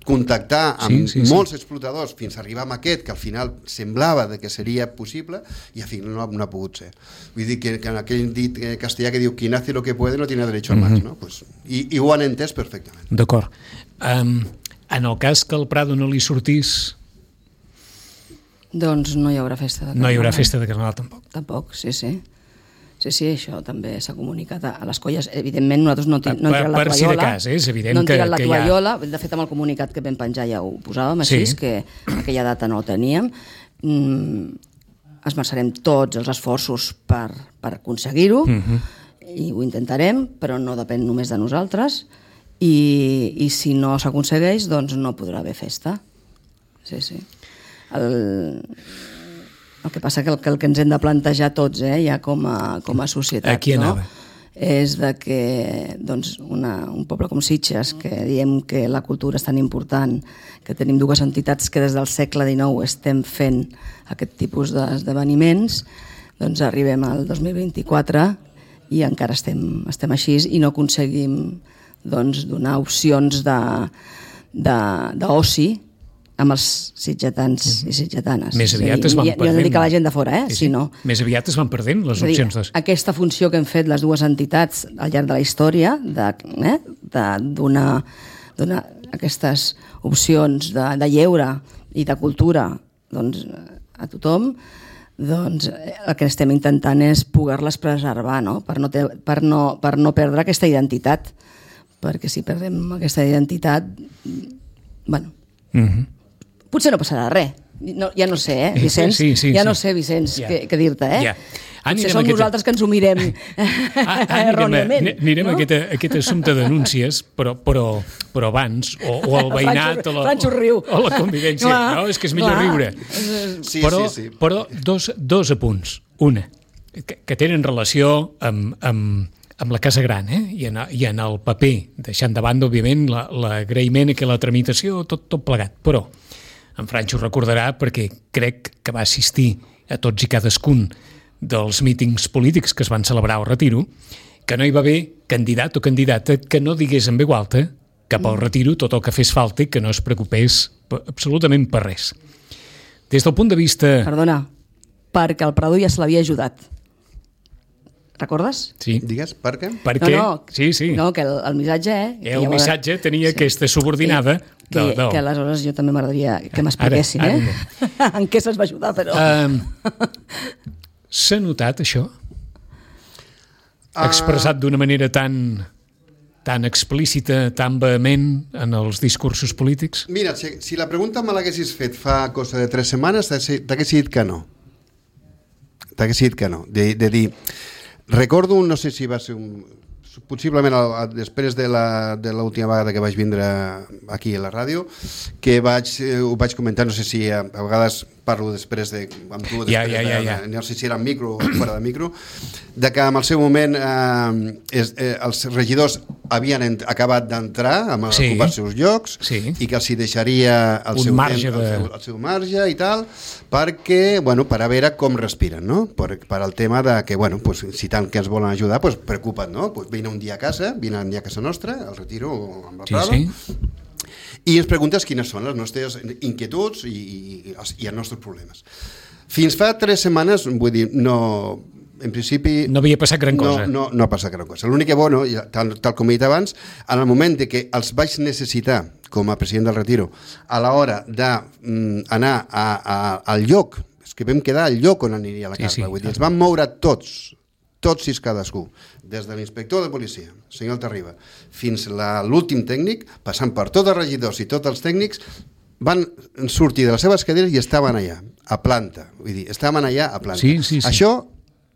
Speaker 2: contactar amb molts explotadors fins a arribar a aquest que al final semblava que seria possible i al final no ha pogut ser. Vull dir que en aquell dit castellà que diu quien hace lo que puede no tiene derecho a más, no? I ho han entès perfectament.
Speaker 1: D'acord. En el cas que al Prado no li sortís...
Speaker 3: Doncs no hi haurà festa de Carnaval.
Speaker 1: No hi haurà festa de Carnaval, tampoc.
Speaker 3: Tampoc, sí. Sí, això també s'ha comunicat a les colles. Evidentment, nosaltres no hem tirat la tovallola.
Speaker 1: Per si de cas, és evident que
Speaker 3: no hem tirat la tovallola. De fet, amb el comunicat que vam penjar ja ho posàvem així, que aquella data no el teníem. Esmerçarem tots els esforços per aconseguir-ho i ho intentarem, però no depèn només de nosaltres i si no s'aconsegueix, doncs no podrà haver festa. Sí. El que passa que el que ens hem de plantejar tots, ja com a societat,
Speaker 1: aquí anava.
Speaker 3: És que un poble com Sitges, que diem que la cultura és tan important, que tenim 2 entitats que des del segle XIX estem fent aquest tipus d'esdeveniments, doncs arribem al 2024 i encara estem així i no aconseguim donar opcions d'oci amb els sitgetans i sitgetanes.
Speaker 1: Més aviat es van perdent.
Speaker 3: Jo no dic a la gent de fora, sinó...
Speaker 1: Més aviat es van perdent les opcions.
Speaker 3: Aquesta funció que hem fet les 2 entitats al llarg de la història, de donar aquestes opcions de lleure i de cultura a tothom, doncs el que estem intentant és poder-les preservar, per no perdre aquesta identitat. Perquè si perdem aquesta identitat, potser no passarà res. Ja no sé, Vicenç? Ja no sé, Vicenç, què dir-te, Potser som nosaltres que ens ho mirem erròniament.
Speaker 1: Anirem a aquest assumpte de denúncies, però abans, o el veïnat, o la convivència. No, és que és millor riure. Però dos apunts. Una, que tenen relació amb la Casa Gran, i en el paper, deixant de banda, òbviament, l'agraïment i la tramitació, tot plegat. Però en Francho ho recordarà perquè crec que va assistir a tots i cadascun dels mítings polítics que es van celebrar al Retiro, que no hi va haver candidat o candidata que no digués en veu alta cap al Retiro tot el que fes falta i que no es preocupés absolutament per res. Des del punt de vista...
Speaker 3: Perdona, perquè el Prado ja se l'havia ajudat. Recordes?
Speaker 1: Sí.
Speaker 2: Digues, per què?
Speaker 1: Perquè...
Speaker 3: Sí. No, que el missatge...
Speaker 1: El missatge tenia aquesta subordinada...
Speaker 3: Que aleshores jo també m'agradaria que m'expliquessin, en què se'ls va ajudar, però...
Speaker 1: S'ha notat això? Expressat d'una manera tan explícita, tan vehement en els discursos polítics?
Speaker 2: Mira, si la pregunta me l'haguessis fet fa cosa de 3 setmanes, t'haguessis dit que no. De dir... Recordo, no sé si va ser possiblement després de l'última vegada que vaig vindre aquí a la ràdio, que ho vaig comentar, no sé si a vegades parlo després amb tu, no sé si era en micro o fora de micro, de que en el seu moment els regidors havien acabat d'entrar a ocupar els seus llocs i que els hi deixaria el seu marge i tal, perquè, per a veure com respiren, no? Per al tema de que, si tant que ens volen ajudar, preocupa't, no? Vine un dia a casa, nostra, al Retiro o amb el Prado, i ens preguntes quines són les nostres inquietuds i els nostres problemes. Fins fa 3 setmanes, vull dir, no, en principi...
Speaker 1: No havia passat gran cosa.
Speaker 2: No ha passat gran cosa. L'únic que, tal com he dit abans, en el moment de que els vaig necessitar com a president del Retiro, a l'hora d'anar al lloc, és que vam quedar al lloc on aniria la carta, vull dir, ens vam moure tots i cadascú, des de l'inspector de policia, el senyor Altarriba, fins a l'últim tècnic, passant per tots els regidors i tots els tècnics, van sortir de les seves cadires i estaven allà, a planta. Vull dir, estaven allà a planta.
Speaker 1: Sí.
Speaker 2: Això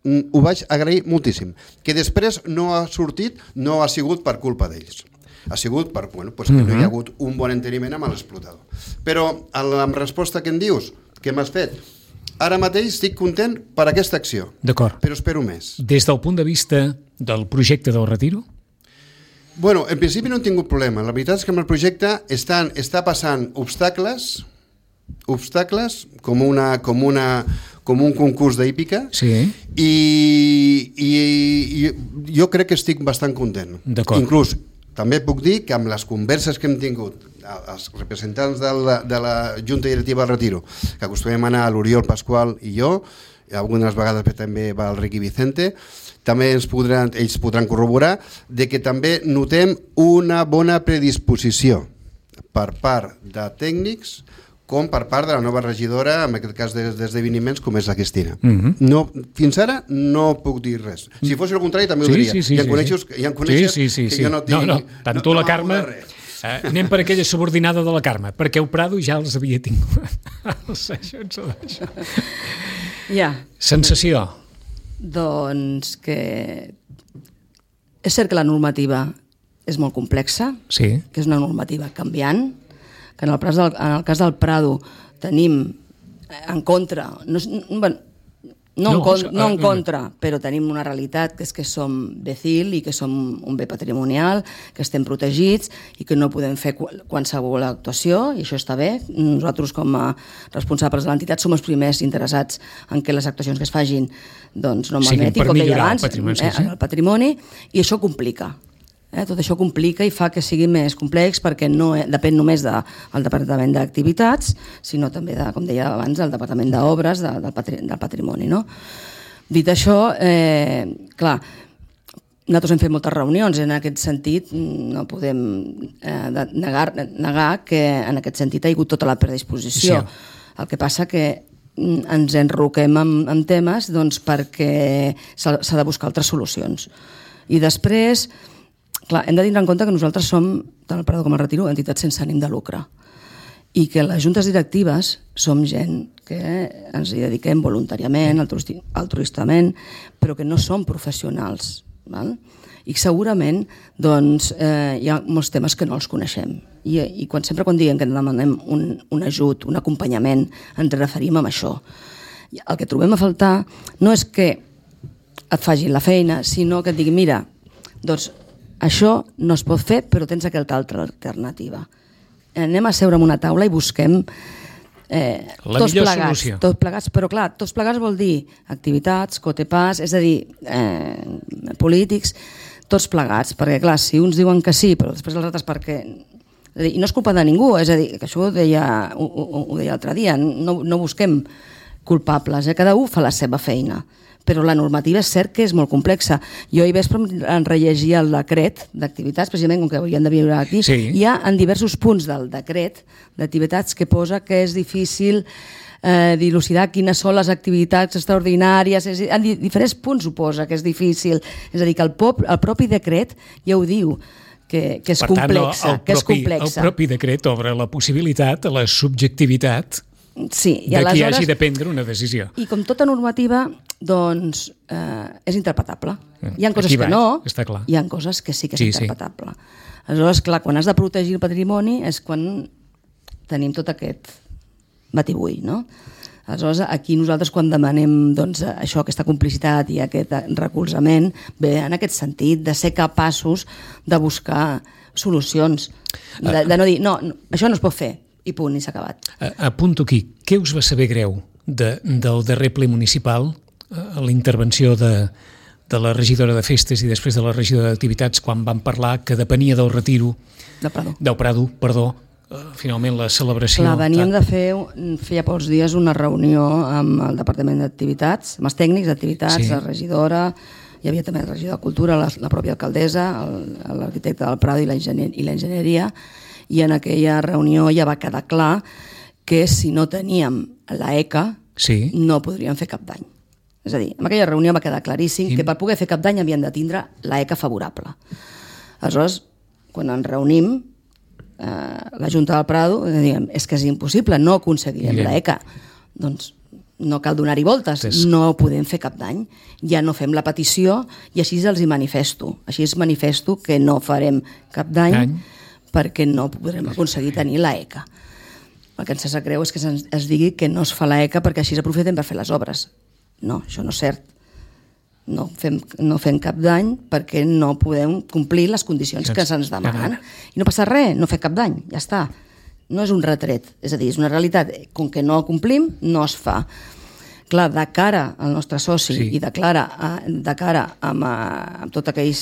Speaker 2: ho vaig agrair moltíssim. Que després no ha sortit, no ha sigut per culpa d'ells. Ha sigut per, que no hi ha hagut un bon enteniment amb l'explotador. Però, en resposta que em dius, què m'has fet? Ara mateix estic content per aquesta acció.
Speaker 1: D'acord.
Speaker 2: Però espero més.
Speaker 1: Des del punt de vista del projecte del Retiro?
Speaker 2: En principi no he tingut problema. La veritat és que amb el projecte està passant obstacles com un concurs d'hípica i jo crec que estic bastant content.
Speaker 1: D'acord.
Speaker 2: Inclús també puc dir que amb les converses que hem tingut els representants de la Junta Directiva del Retiro, que acostumem a anar a l'Oriol Pasqual i jo, i algunes vegades també va el Riqui Vicente, també ells podran corroborar de que també notem una bona predisposició per part de tècnics com per part de la nova regidora, en aquest cas d'esdeveniments, com és la Cristina. Fins ara no puc dir res. Si fos el contrari també ho diria. I em coneixes que jo no tinc...
Speaker 1: No, tant tu la Carme... Anem per aquella subordinada de la Carme, perquè el Prado ja els havia tingut. Sensació?
Speaker 3: Doncs que és cert que la normativa és molt complexa, que és una normativa canviant, que en el cas del Prado tenim en contra, no en contra, però tenim una realitat que és que som BECIL i que som un bé patrimonial, que estem protegits i que no podem fer qualsevol actuació, i això està bé. Nosaltres, com a responsables de l'entitat, som els primers interessats en que les actuacions que es facin no malmetin, com deia abans, el patrimoni, i això complica. Tot això complica i fa que sigui més complex perquè no depèn només del Departament d'Activitats, sinó també, com deia abans, del Departament d'Obres del patrimoni. Dit això, clar, nosaltres hem fet moltes reunions, en aquest sentit no podem negar que en aquest sentit ha hagut tota la predisposició. El que passa que ens enroquem en temes perquè s'ha de buscar altres solucions. I després... Clar, hem de tindre en compte que nosaltres som, tant el Prado com el Retiro, entitats sense ànim de lucre. I que les juntes directives som gent que ens hi dediquem voluntàriament, altruistament, però que no som professionals. I segurament hi ha molts temes que no els coneixem. I sempre quan diem que demanem un ajut, un acompanyament, ens referim a això. El que trobem a faltar no és que et facin la feina, sinó que et diguin, mira, doncs això no es pot fer, però tens aquesta altra alternativa. Anem a seure en una taula i busquem tots plegats, però clar, tots plegats vol dir activitats, cotepàs, és a dir, polítics, tots plegats, perquè clar, si uns diuen que sí, però després els altres perquè... I no és culpa de ningú, és a dir, que això ho deia l'altre dia, no busquem culpables, cada un fa la seva feina. Però la normativa és cert que és molt complexa. Jo ahir vespre em rellegia el decret d'activitats, precisament com que hauríem de viure aquí, hi ha en diversos punts del decret d'activitats que posa que és difícil dilucidar quines són les activitats extraordinàries, en diferents punts ho posa que és difícil, és a dir, que el propi decret ja ho diu, que és complexa.
Speaker 1: El propi decret obre la possibilitat a la subjectivitat de qui hagi de prendre una decisió.
Speaker 3: I com tota normativa, doncs, és interpretable. Hi ha coses que no, hi ha coses que sí que és interpretable. Aleshores, clar, quan has de protegir el patrimoni és quan tenim tot aquest batibull, no? Aleshores, aquí nosaltres quan demanem doncs, això, aquesta complicitat i aquest recolzament, ve en aquest sentit de ser capaços de buscar solucions, de no dir, no, això no es pot fer, i punt, i s'ha acabat.
Speaker 1: Apunto aquí, què us va saber greu del darrer ple municipal, la intervenció de la regidora de festes i després de la regidora d'activitats quan van parlar que depenia del retiro del Prado, finalment la celebració...
Speaker 3: Clar, veníem de feia pocs dies una reunió amb el Departament d'Activitats, amb els tècnics d'activitats, la regidora, hi havia també el regidor de Cultura, la pròpia alcaldessa, l'arquitecte del Prado i l'enginyeria, i en aquella reunió ja va quedar clar que si no teníem l'ECA no podríem fer cap dany. És a dir, en aquella reunió va quedar claríssim que per poder fer cap dany havien de tindre l'ECA favorable. Aleshores, quan ens reunim, la Junta del Prado, diguem, és que és impossible, no aconseguirem l'ECA. Doncs no cal donar-hi voltes, no podem fer cap dany, ja no fem la petició i així els hi manifesto. Així es manifesto que no farem cap dany perquè no podrem aconseguir tenir l'ECA. El que ens sap greu és que es digui que no es fa l'ECA perquè així s'aprofiten per fer les obres. No, això no és cert. No fem cap dany perquè no podem complir les condicions que se'ns demanen. I no passa res, no fer cap dany, ja està. No és un retret, és a dir, és una realitat. Com que no complim, no es fa. Clar, de cara al nostre soci i de cara amb tots aquells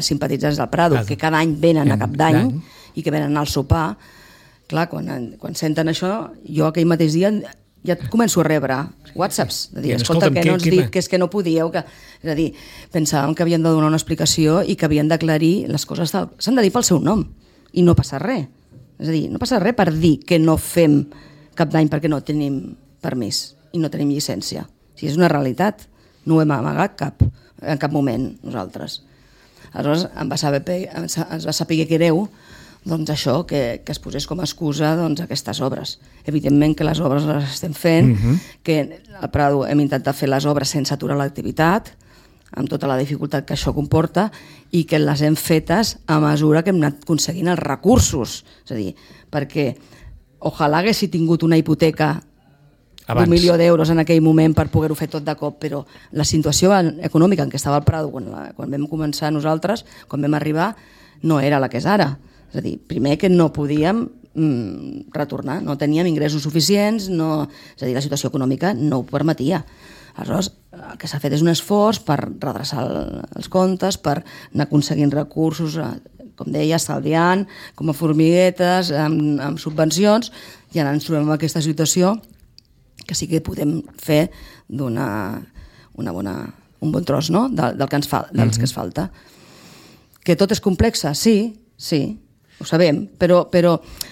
Speaker 3: simpatitzants del Prado que cada any venen a cap d'any i que venen al sopar, clar, quan senten això, jo aquell mateix dia ja començo a rebre whatsapps de dir, escolta, que no ens dic, que és que no podíeu, és a dir, pensàvem que havien de donar una explicació i que havien d'aclarir les coses, s'han de dir pel seu nom i no passa res, és a dir, no passa res per dir que no fem cap d'any perquè no tenim permís i no tenim llicència, o sigui, és una realitat, no ho hem amagat en cap moment nosaltres. Aleshores ens va saber greu doncs això, que es posés com a excusa aquestes obres. Evidentment que les obres les estem fent, que al Prado hem intentat fer les obres sense aturar l'activitat, amb tota la dificultat que això comporta, i que les hem fetes a mesura que hem anat aconseguint els recursos. És a dir, perquè ojalà haguessi tingut una hipoteca d'1 milió d'euros en aquell moment per poder-ho fer tot de cop, però la situació econòmica en què estava el Prado quan vam començar nosaltres, quan vam arribar, no era la que és ara. És a dir, primer que no podíem retornar, no teníem ingressos suficients, és a dir, la situació econòmica no ho permetia. Aleshores, el que s'ha fet és un esforç per redreçar els comptes, per anar aconseguint recursos, com deia, estalviant, com a formiguetes, amb subvencions, i ara ens trobem en aquesta situació que sí que podem fer un bon tros, no?, del que ens falta. Que tot és complexa? Sí, ho sabem, però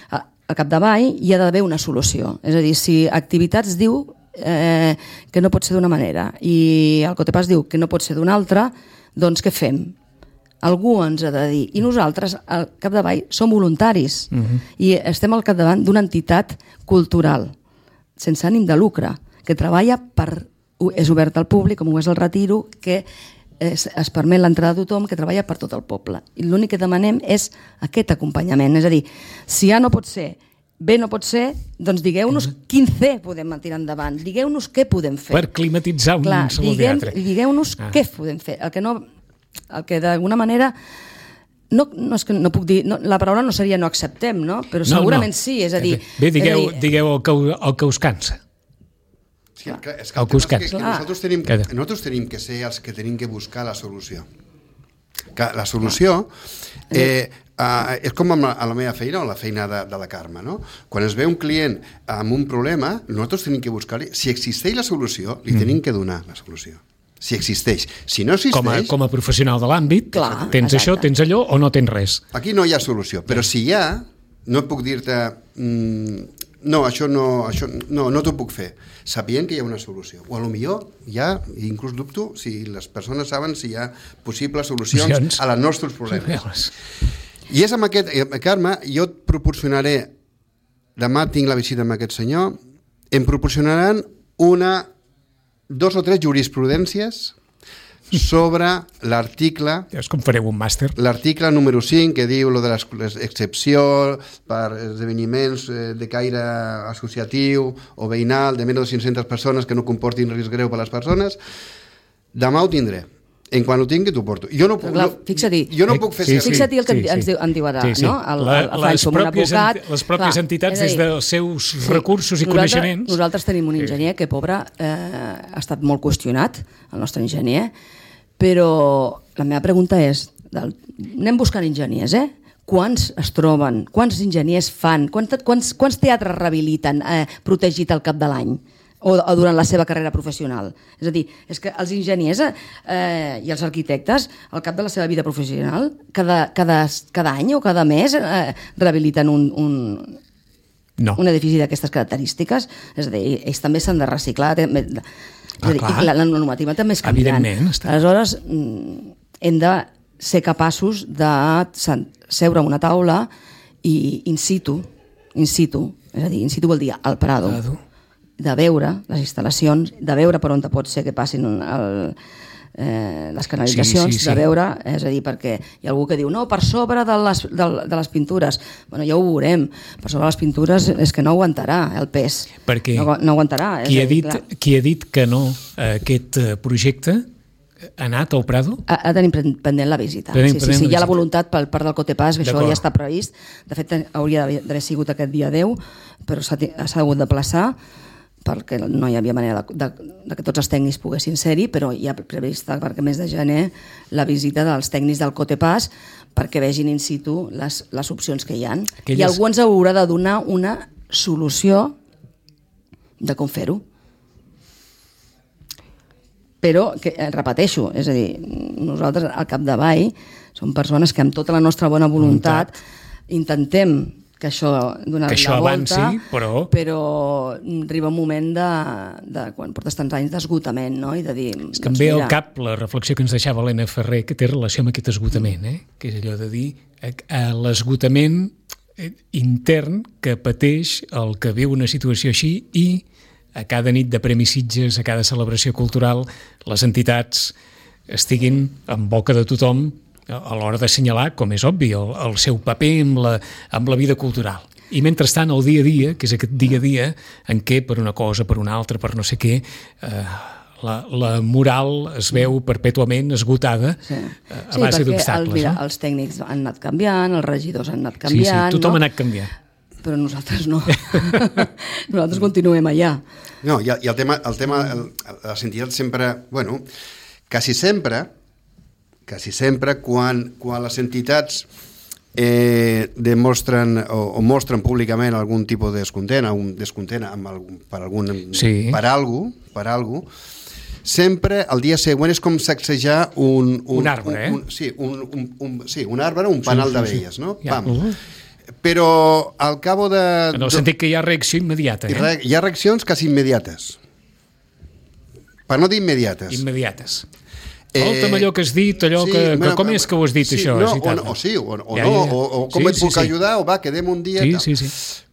Speaker 3: al capdavall hi ha d'haver una solució. És a dir, si Activitats diu que no pot ser d'una manera i el Cotepàs diu que no pot ser d'una altra, doncs què fem? Algú ens ha de dir. I nosaltres, al capdavall, som voluntaris i estem al capdavant d'una entitat cultural, sense ànim de lucre, que treballa és obert al públic, com ho és el Retiro, que es permet l'entrada de tothom, que treballa per tot el poble. I l'únic que demanem és aquest acompanyament. És a dir, si A no pot ser, B no pot ser, doncs digueu-nos quin C podem tirar endavant, digueu-nos què podem fer.
Speaker 1: Per climatitzar un saló de teatre.
Speaker 3: Digueu-nos què podem fer. El que d'alguna manera... No és que no puc dir... La paraula no seria no acceptem, no? Però segurament sí, és a dir...
Speaker 1: Bé, digueu el que us cansa.
Speaker 2: Sí, és que nosaltres tenim que ser els que tenim que buscar la solució. La solució és com a la meva feina o la feina de la Carme, no? Quan es ve un client amb un problema, nosaltres tenim que buscar-li... Si existeix la solució, li tenim que donar la solució. Si existeix. Si no existeix...
Speaker 1: Com a professional de l'àmbit, tens això, tens allò o no tens res.
Speaker 2: Aquí no hi ha solució, però si hi ha, no puc dir-te... No, això no t'ho puc fer, sabient que hi ha una solució. O potser hi ha, inclús dubto, si les persones saben si hi ha possibles solucions a els nostres problemes. I és amb aquest... Carme, jo et proporcionaré... Demà tinc la visita amb aquest senyor, em proporcionaran 2 o 3 jurisprudències sobre l'article...
Speaker 1: És com fareu un màster.
Speaker 2: L'article número 5, que diu lo de l'excepció per esdeveniments de caire associatiu o veïnal de menys de 500 persones que no comportin risc greu per a les persones. Demà ho tindré. En quan ho tingui t'ho porto. Jo no puc, jo no puc fer servir.
Speaker 3: Fixa't el que ens diu ara, no? El Francho, un advocat...
Speaker 1: Les pròpies entitats, des dels seus recursos i coneixements...
Speaker 3: Nosaltres tenim un enginyer que, pobre, ha estat molt qüestionat, el nostre enginyer, però la meva pregunta és, anem buscant enginyers, quants es troben, quants enginyers fan, quants teatres rehabiliten protegit al cap de l'any? O durant la seva carrera professional. És a dir, és que els enginyers i els arquitectes, al cap de la seva vida professional, cada any o cada mes rehabiliten un edifici d'aquestes característiques. És a dir, ells també s'han de reciclar. La normativa també és canviant. Aleshores, hem de ser capaços de seure a una taula i in situ, és a dir, in situ vol dir al Prado, de veure les instal·lacions, de veure per on pot ser que passin les canalitzacions, de veure, és a dir, perquè hi ha algú que diu no, per sobre de les pintures. Bueno, ja ho veurem, per sobre de les pintures és que no aguantarà el pes, no aguantarà.
Speaker 1: Qui ha dit que no aquest projecte ha anat al Prado?
Speaker 3: Ha de tenir pendent la visita. Sí, hi ha la voluntat per part del Cotepàs, que això ja està previst. De fet, hauria d'haver sigut aquest dia 10, però s'ha hagut de plaçar perquè no hi havia manera de que tots els tècnics poguessin ser-hi, però hi ha prevista perquè mes de gener la visita dels tècnics del Cotepàs perquè vegin in situ les opcions que hi ha. I algú ens haurà de donar una solució de com fer-ho. Però, repeteixo, és a dir, nosaltres al capdavall som persones que amb tota la nostra bona voluntat intentem que això donar la volta,
Speaker 1: avanci,
Speaker 3: però arriba un moment de quan portes tants anys d'esgotament, no? I de dir...
Speaker 1: És que em ve al cap la reflexió que ens deixava Helena Ferrer, que té relació amb aquest esgotament, que és allò de dir l'esgotament intern que pateix el que viu una situació així i a cada nit de Premi Sitges, a cada celebració cultural, les entitats estiguin en boca de tothom a l'hora d'assenyalar, com és obvi, el seu paper amb la vida cultural. I mentrestant, el dia a dia, que és aquest dia a dia en què per una cosa, per una altra, per no sé què, la moral es veu perpètuament esgotada a base d'obstacles.
Speaker 3: Mira, els tècnics han anat canviant, els regidors han anat canviant...
Speaker 1: Sí, tothom ha anat canviant.
Speaker 3: Però nosaltres no. Nosaltres continuem allà.
Speaker 2: No, i el tema, les entitats sempre, bueno, quasi sempre, quan les entitats demostren o mostren públicament algun tipus de descontent per algú, sempre el dia següent és com sacsejar un arbre, un arbre, un panal d'abelles, no? Pam. Però al cabo de...
Speaker 1: En el sentit que hi ha reacció immediata.
Speaker 2: Hi ha reaccions quasi immediates. Per no dir immediates.
Speaker 1: Immediates. Escolta'm allò que has dit, allò que com és que ho has dit, això?
Speaker 2: O com et puc ajudar, o va, quedem un dia...
Speaker 1: Sí.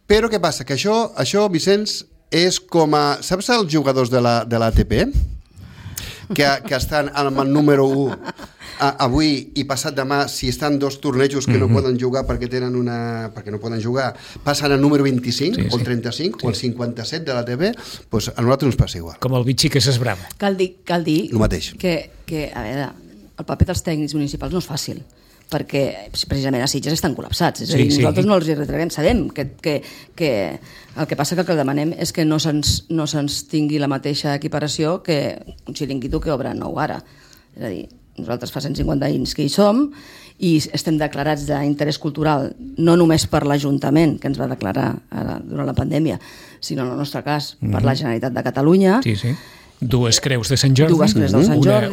Speaker 2: Però què passa? Que això, Vicenç, és com a... Saps els jugadors de l'ATP? Que estan amb el número 1 avui i passat demà, si estan dos tornejos que no poden jugar perquè no poden jugar, passen al número 25 o el 35 o el 57 de l'ATP, doncs a nosaltres ens passa igual.
Speaker 1: Com el bitxí que s'esbrava.
Speaker 3: Cal dir
Speaker 2: el mateix.
Speaker 3: Que a veure, el paper dels tècnics municipals no és fàcil, perquè precisament a Sitges estan col·lapsats. És a dir, nosaltres no els hi retreguem. Sabem que el que passa que el que demanem és que no se'ns tingui la mateixa equiparació que un xiringuito que obre nou ara. És a dir, nosaltres fa 150 anys que hi som i estem declarats d'interès cultural no només per l'Ajuntament, que ens va declarar ara durant la pandèmia, sinó en el nostre cas per la Generalitat de Catalunya.
Speaker 1: Sí. Dues creus de Sant Jordi,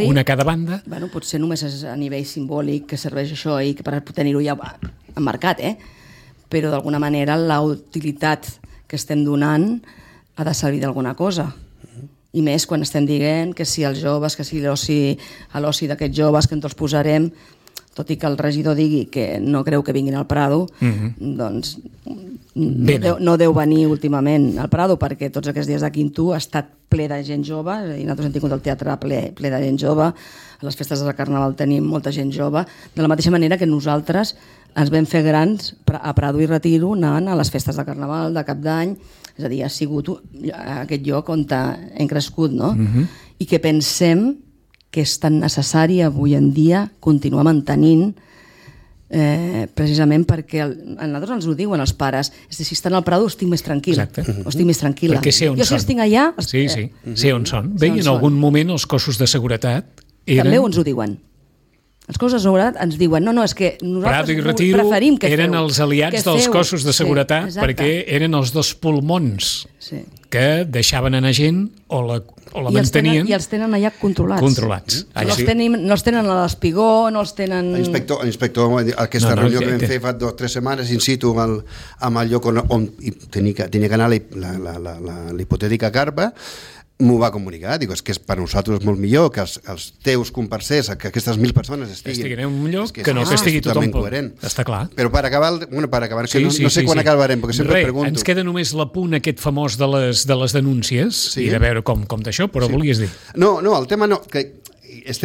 Speaker 1: una a cada banda.
Speaker 3: Bueno, potser només és a nivell simbòlic que serveix això i per tenir-ho ja emmarcat, però d'alguna manera la utilitat que estem donant ha de servir d'alguna cosa. I més quan estem dient que si els joves, que si l'oci d'aquests joves que ens els posarem, tot i que el regidor digui que no creu que vinguin al Prado, doncs no deu venir últimament al Prado, perquè tots aquests dies de Quinto ha estat ple de gent jove, és a dir, nosaltres hem tingut el teatre ple de gent jove, a les festes de Carnaval tenim molta gent jove, de la mateixa manera que nosaltres ens vam fer grans a Prado i Retiro anant a les festes de Carnaval, de Cap d'Any, és a dir, ha sigut aquest lloc on hem crescut, no? I que pensem que és tan necessari avui en dia continuar mantenint precisament perquè a nosaltres ens ho diuen els pares, és a dir, si estan al Prado estic més tranquil, o estic més tranquil·la.
Speaker 1: Perquè sé on
Speaker 3: jo si estic allà...
Speaker 1: Sí, sé on són. Bé, en algun moment els cossos de seguretat eren...
Speaker 3: També ens ho diuen. Els cossos de seguretat ens diuen no, és que nosaltres preferim que
Speaker 1: eren els aliats dels cossos de seguretat perquè eren els dos pulmons que deixaven anar gent o la mantenien.
Speaker 3: I els tenen allà controlats. No els tenen a l'Espigó, no els tenen...
Speaker 2: L'inspector, aquesta reunió que vam fer fa 2 o 3 setmanes in situ amb el lloc on tenia que anar l'hipotètica carpa, m'ho va comunicar, dic, és que per nosaltres és molt millor que els teus comparsers, que aquestes 1.000 persones estiguin
Speaker 1: en un lloc que no que estigui tothom coherent. Està clar.
Speaker 2: Però per acabar, no sé quan acabarem, perquè sempre pregunto.
Speaker 1: Ens queda només l'apunt aquest famós de les denúncies i de veure com d'això, però volies dir.
Speaker 2: No, el tema no, que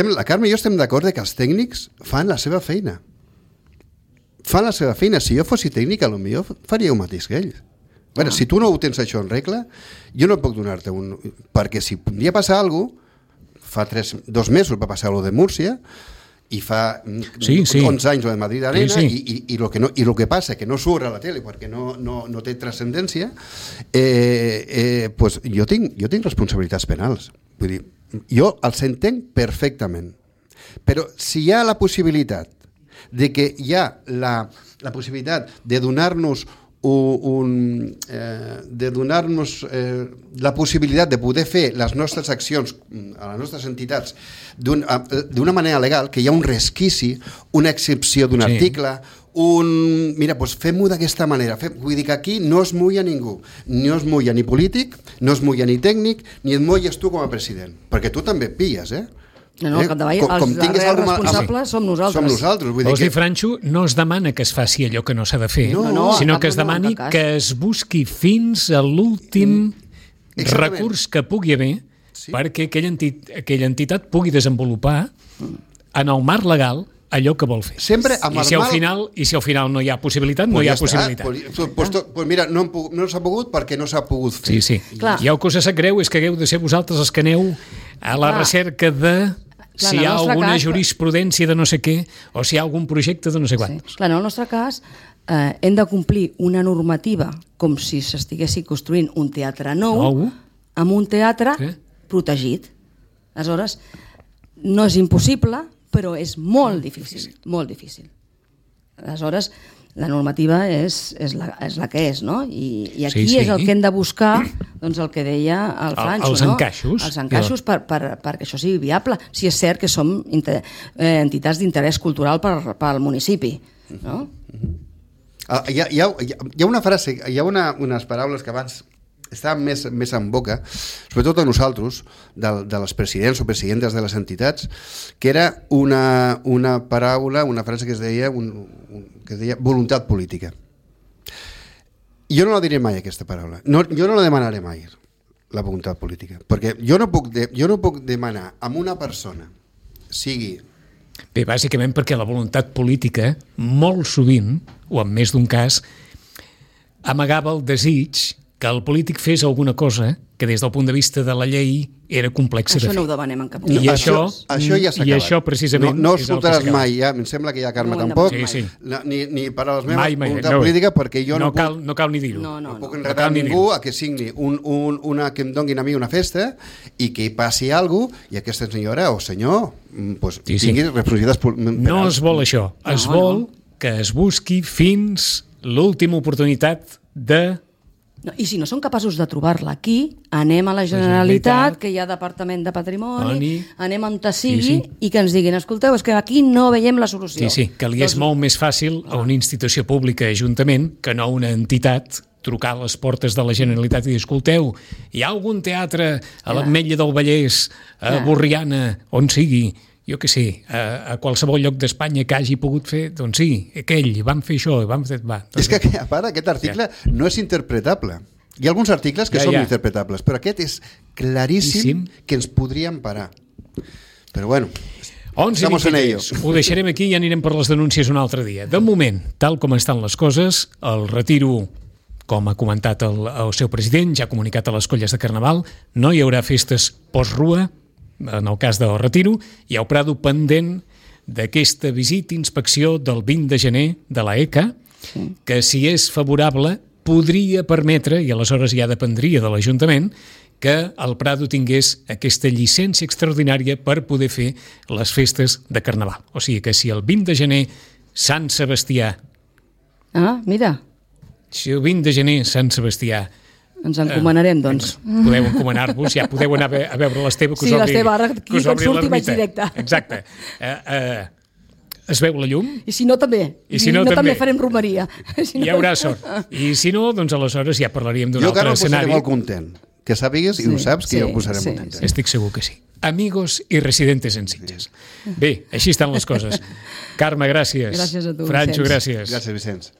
Speaker 2: la Carme i jo estem d'acord que els tècnics fan la seva feina. Fan la seva feina. Si jo fossi tècnic, potser faria el mateix que ells. Bueno, si tu no ho tens això en regla, jo no puc donar-te un... Perquè si un dia passa alguna cosa, fa 2 mesos va passar allò de Múrcia, i fa 11 anys lo de Madrid Arena, i lo que passa que no surt a la tele perquè no té transcendència, pues jo tinc responsabilitats penals. Vull dir, jo els entenc perfectament. Però si hi ha la possibilitat de que hi ha la possibilitat de donar-nos la possibilitat de poder fer les nostres accions a les nostres entitats d'una manera legal, que hi ha un resquici, una excepció d'un article, mira, doncs fem-ho d'aquesta manera. Vull dir que aquí no es mulla ningú, no es mulla ni polític, no es mulla ni tècnic, ni et mulles tu com a president, perquè tu també et pilles,
Speaker 3: No, al capdavall, els darrers responsables som nosaltres.
Speaker 1: Vols dir, Franxo, no es demana que es faci allò que no s'ha de fer, sinó que es demani que es busqui fins a l'últim recurs que pugui haver perquè aquella entitat pugui desenvolupar en el marc legal allò que vol fer. I si al final no hi ha possibilitat, no hi ha possibilitat.
Speaker 2: Pues mira, no s'ha pogut perquè no s'ha pogut fer.
Speaker 1: Sí. I el que us sap greu és que hagueu de ser vosaltres els que aneu a la recerca de si hi ha alguna jurisprudència de no sé què o si hi ha algun projecte de no sé quantos.
Speaker 3: Clar, en el nostre cas hem de complir una normativa com si s'estiguessi construint un teatre nou amb un teatre protegit. Aleshores, no és impossible, però és molt difícil, molt difícil. Aleshores, la normativa és la que és, no? I aquí és el que hem de buscar, doncs el que deia el Franxo,
Speaker 1: els encaixos.
Speaker 3: Els encaixos perquè això sigui viable. Si és cert que som entitats d'interès cultural pel municipi, no?
Speaker 2: Hi ha una frase, hi ha unes paraules que abans estaven més en boca, sobretot a nosaltres, de les presidents o presidentes de les entitats, que era una paraula, una frase que es deia voluntat política. Jo no la diré mai, aquesta paraula. Jo no la demanaré mai, la voluntat política, perquè jo no puc demanar a una persona, sigui...
Speaker 1: Bé, bàsicament perquè la voluntat política, molt sovint, o en més d'un cas, amagava el desig que el polític fes alguna cosa que des del punt de vista de la llei era complexa de fer.
Speaker 3: Això no ho demanem en cap moment.
Speaker 2: I això ja s'ha acabat.
Speaker 1: I això precisament
Speaker 2: no escoltaràs mai, em sembla que ja Carme tampoc, ni paraules meves, voluntat política, perquè jo no
Speaker 1: cal ni dir-ho.
Speaker 2: No puc enredar ningú a que signi que em donguin a mi una festa i que hi passi alguna cosa i aquesta senyora o senyor tingui responsabilitats penals.
Speaker 1: No es vol això, es vol que es busqui fins l'última oportunitat de...
Speaker 3: I si no són capaços de trobar-la aquí, anem a la Generalitat, que hi ha Departament de Patrimoni, anem on sigui i que ens diguin, escolteu, és que aquí no veiem la solució.
Speaker 1: Sí, que li és molt més fàcil a una institució pública, ajuntament, que no a una entitat, trucar a les portes de la Generalitat i dir, escolteu, hi ha algun teatre a l'Ametlla del Vallès, a Borriana, on sigui, jo què sé, a qualsevol lloc d'Espanya que hagi pogut fer, doncs sí, aquell, van fer això, van fer...
Speaker 2: És que, a part, aquest article no és interpretable. Hi ha alguns articles que són interpretables, però aquest és claríssim que ens podríem parar. Però bueno...
Speaker 1: 11:23. Ho deixarem aquí i anirem per les denúncies un altre dia. De moment, tal com estan les coses, el retiro, com ha comentat el seu president, ja ha comunicat a les colles de Carnaval, no hi haurà festes post-rua, en el cas del retiro, hi ha el Prado pendent d'aquesta visita i inspecció del 20 de gener de la ECA, que si és favorable podria permetre, i aleshores ja dependria de l'Ajuntament, que el Prado tingués aquesta llicència extraordinària per poder fer les festes de Carnaval. O sigui que si el 20 de gener Sant Sebastià...
Speaker 3: Ah, mira.
Speaker 1: Si el 20 de gener Sant Sebastià...
Speaker 3: Ens encomanarem, doncs.
Speaker 1: Podeu encomanar-vos, ja podeu anar a veure l'Esteve, que us obri l'ermita. Sí, l'Esteve, ara aquí quan surti vaig directe. Exacte. Es veu la llum?
Speaker 3: I si no, també. I si no, també farem romeria.
Speaker 1: Hi haurà sort. I si no, doncs aleshores ja parlaríem d'un altre escenari.
Speaker 2: Jo encara em posaré molt content. Que sàpigues, i ho saps, que ja ho posarem molt content.
Speaker 1: Estic segur que sí. Amigos i residentes en Sitges. Bé, així estan les coses. Carme, gràcies.
Speaker 3: Gràcies a tu,
Speaker 1: Francho, gràcies.
Speaker 2: Gràcies, Vicenç.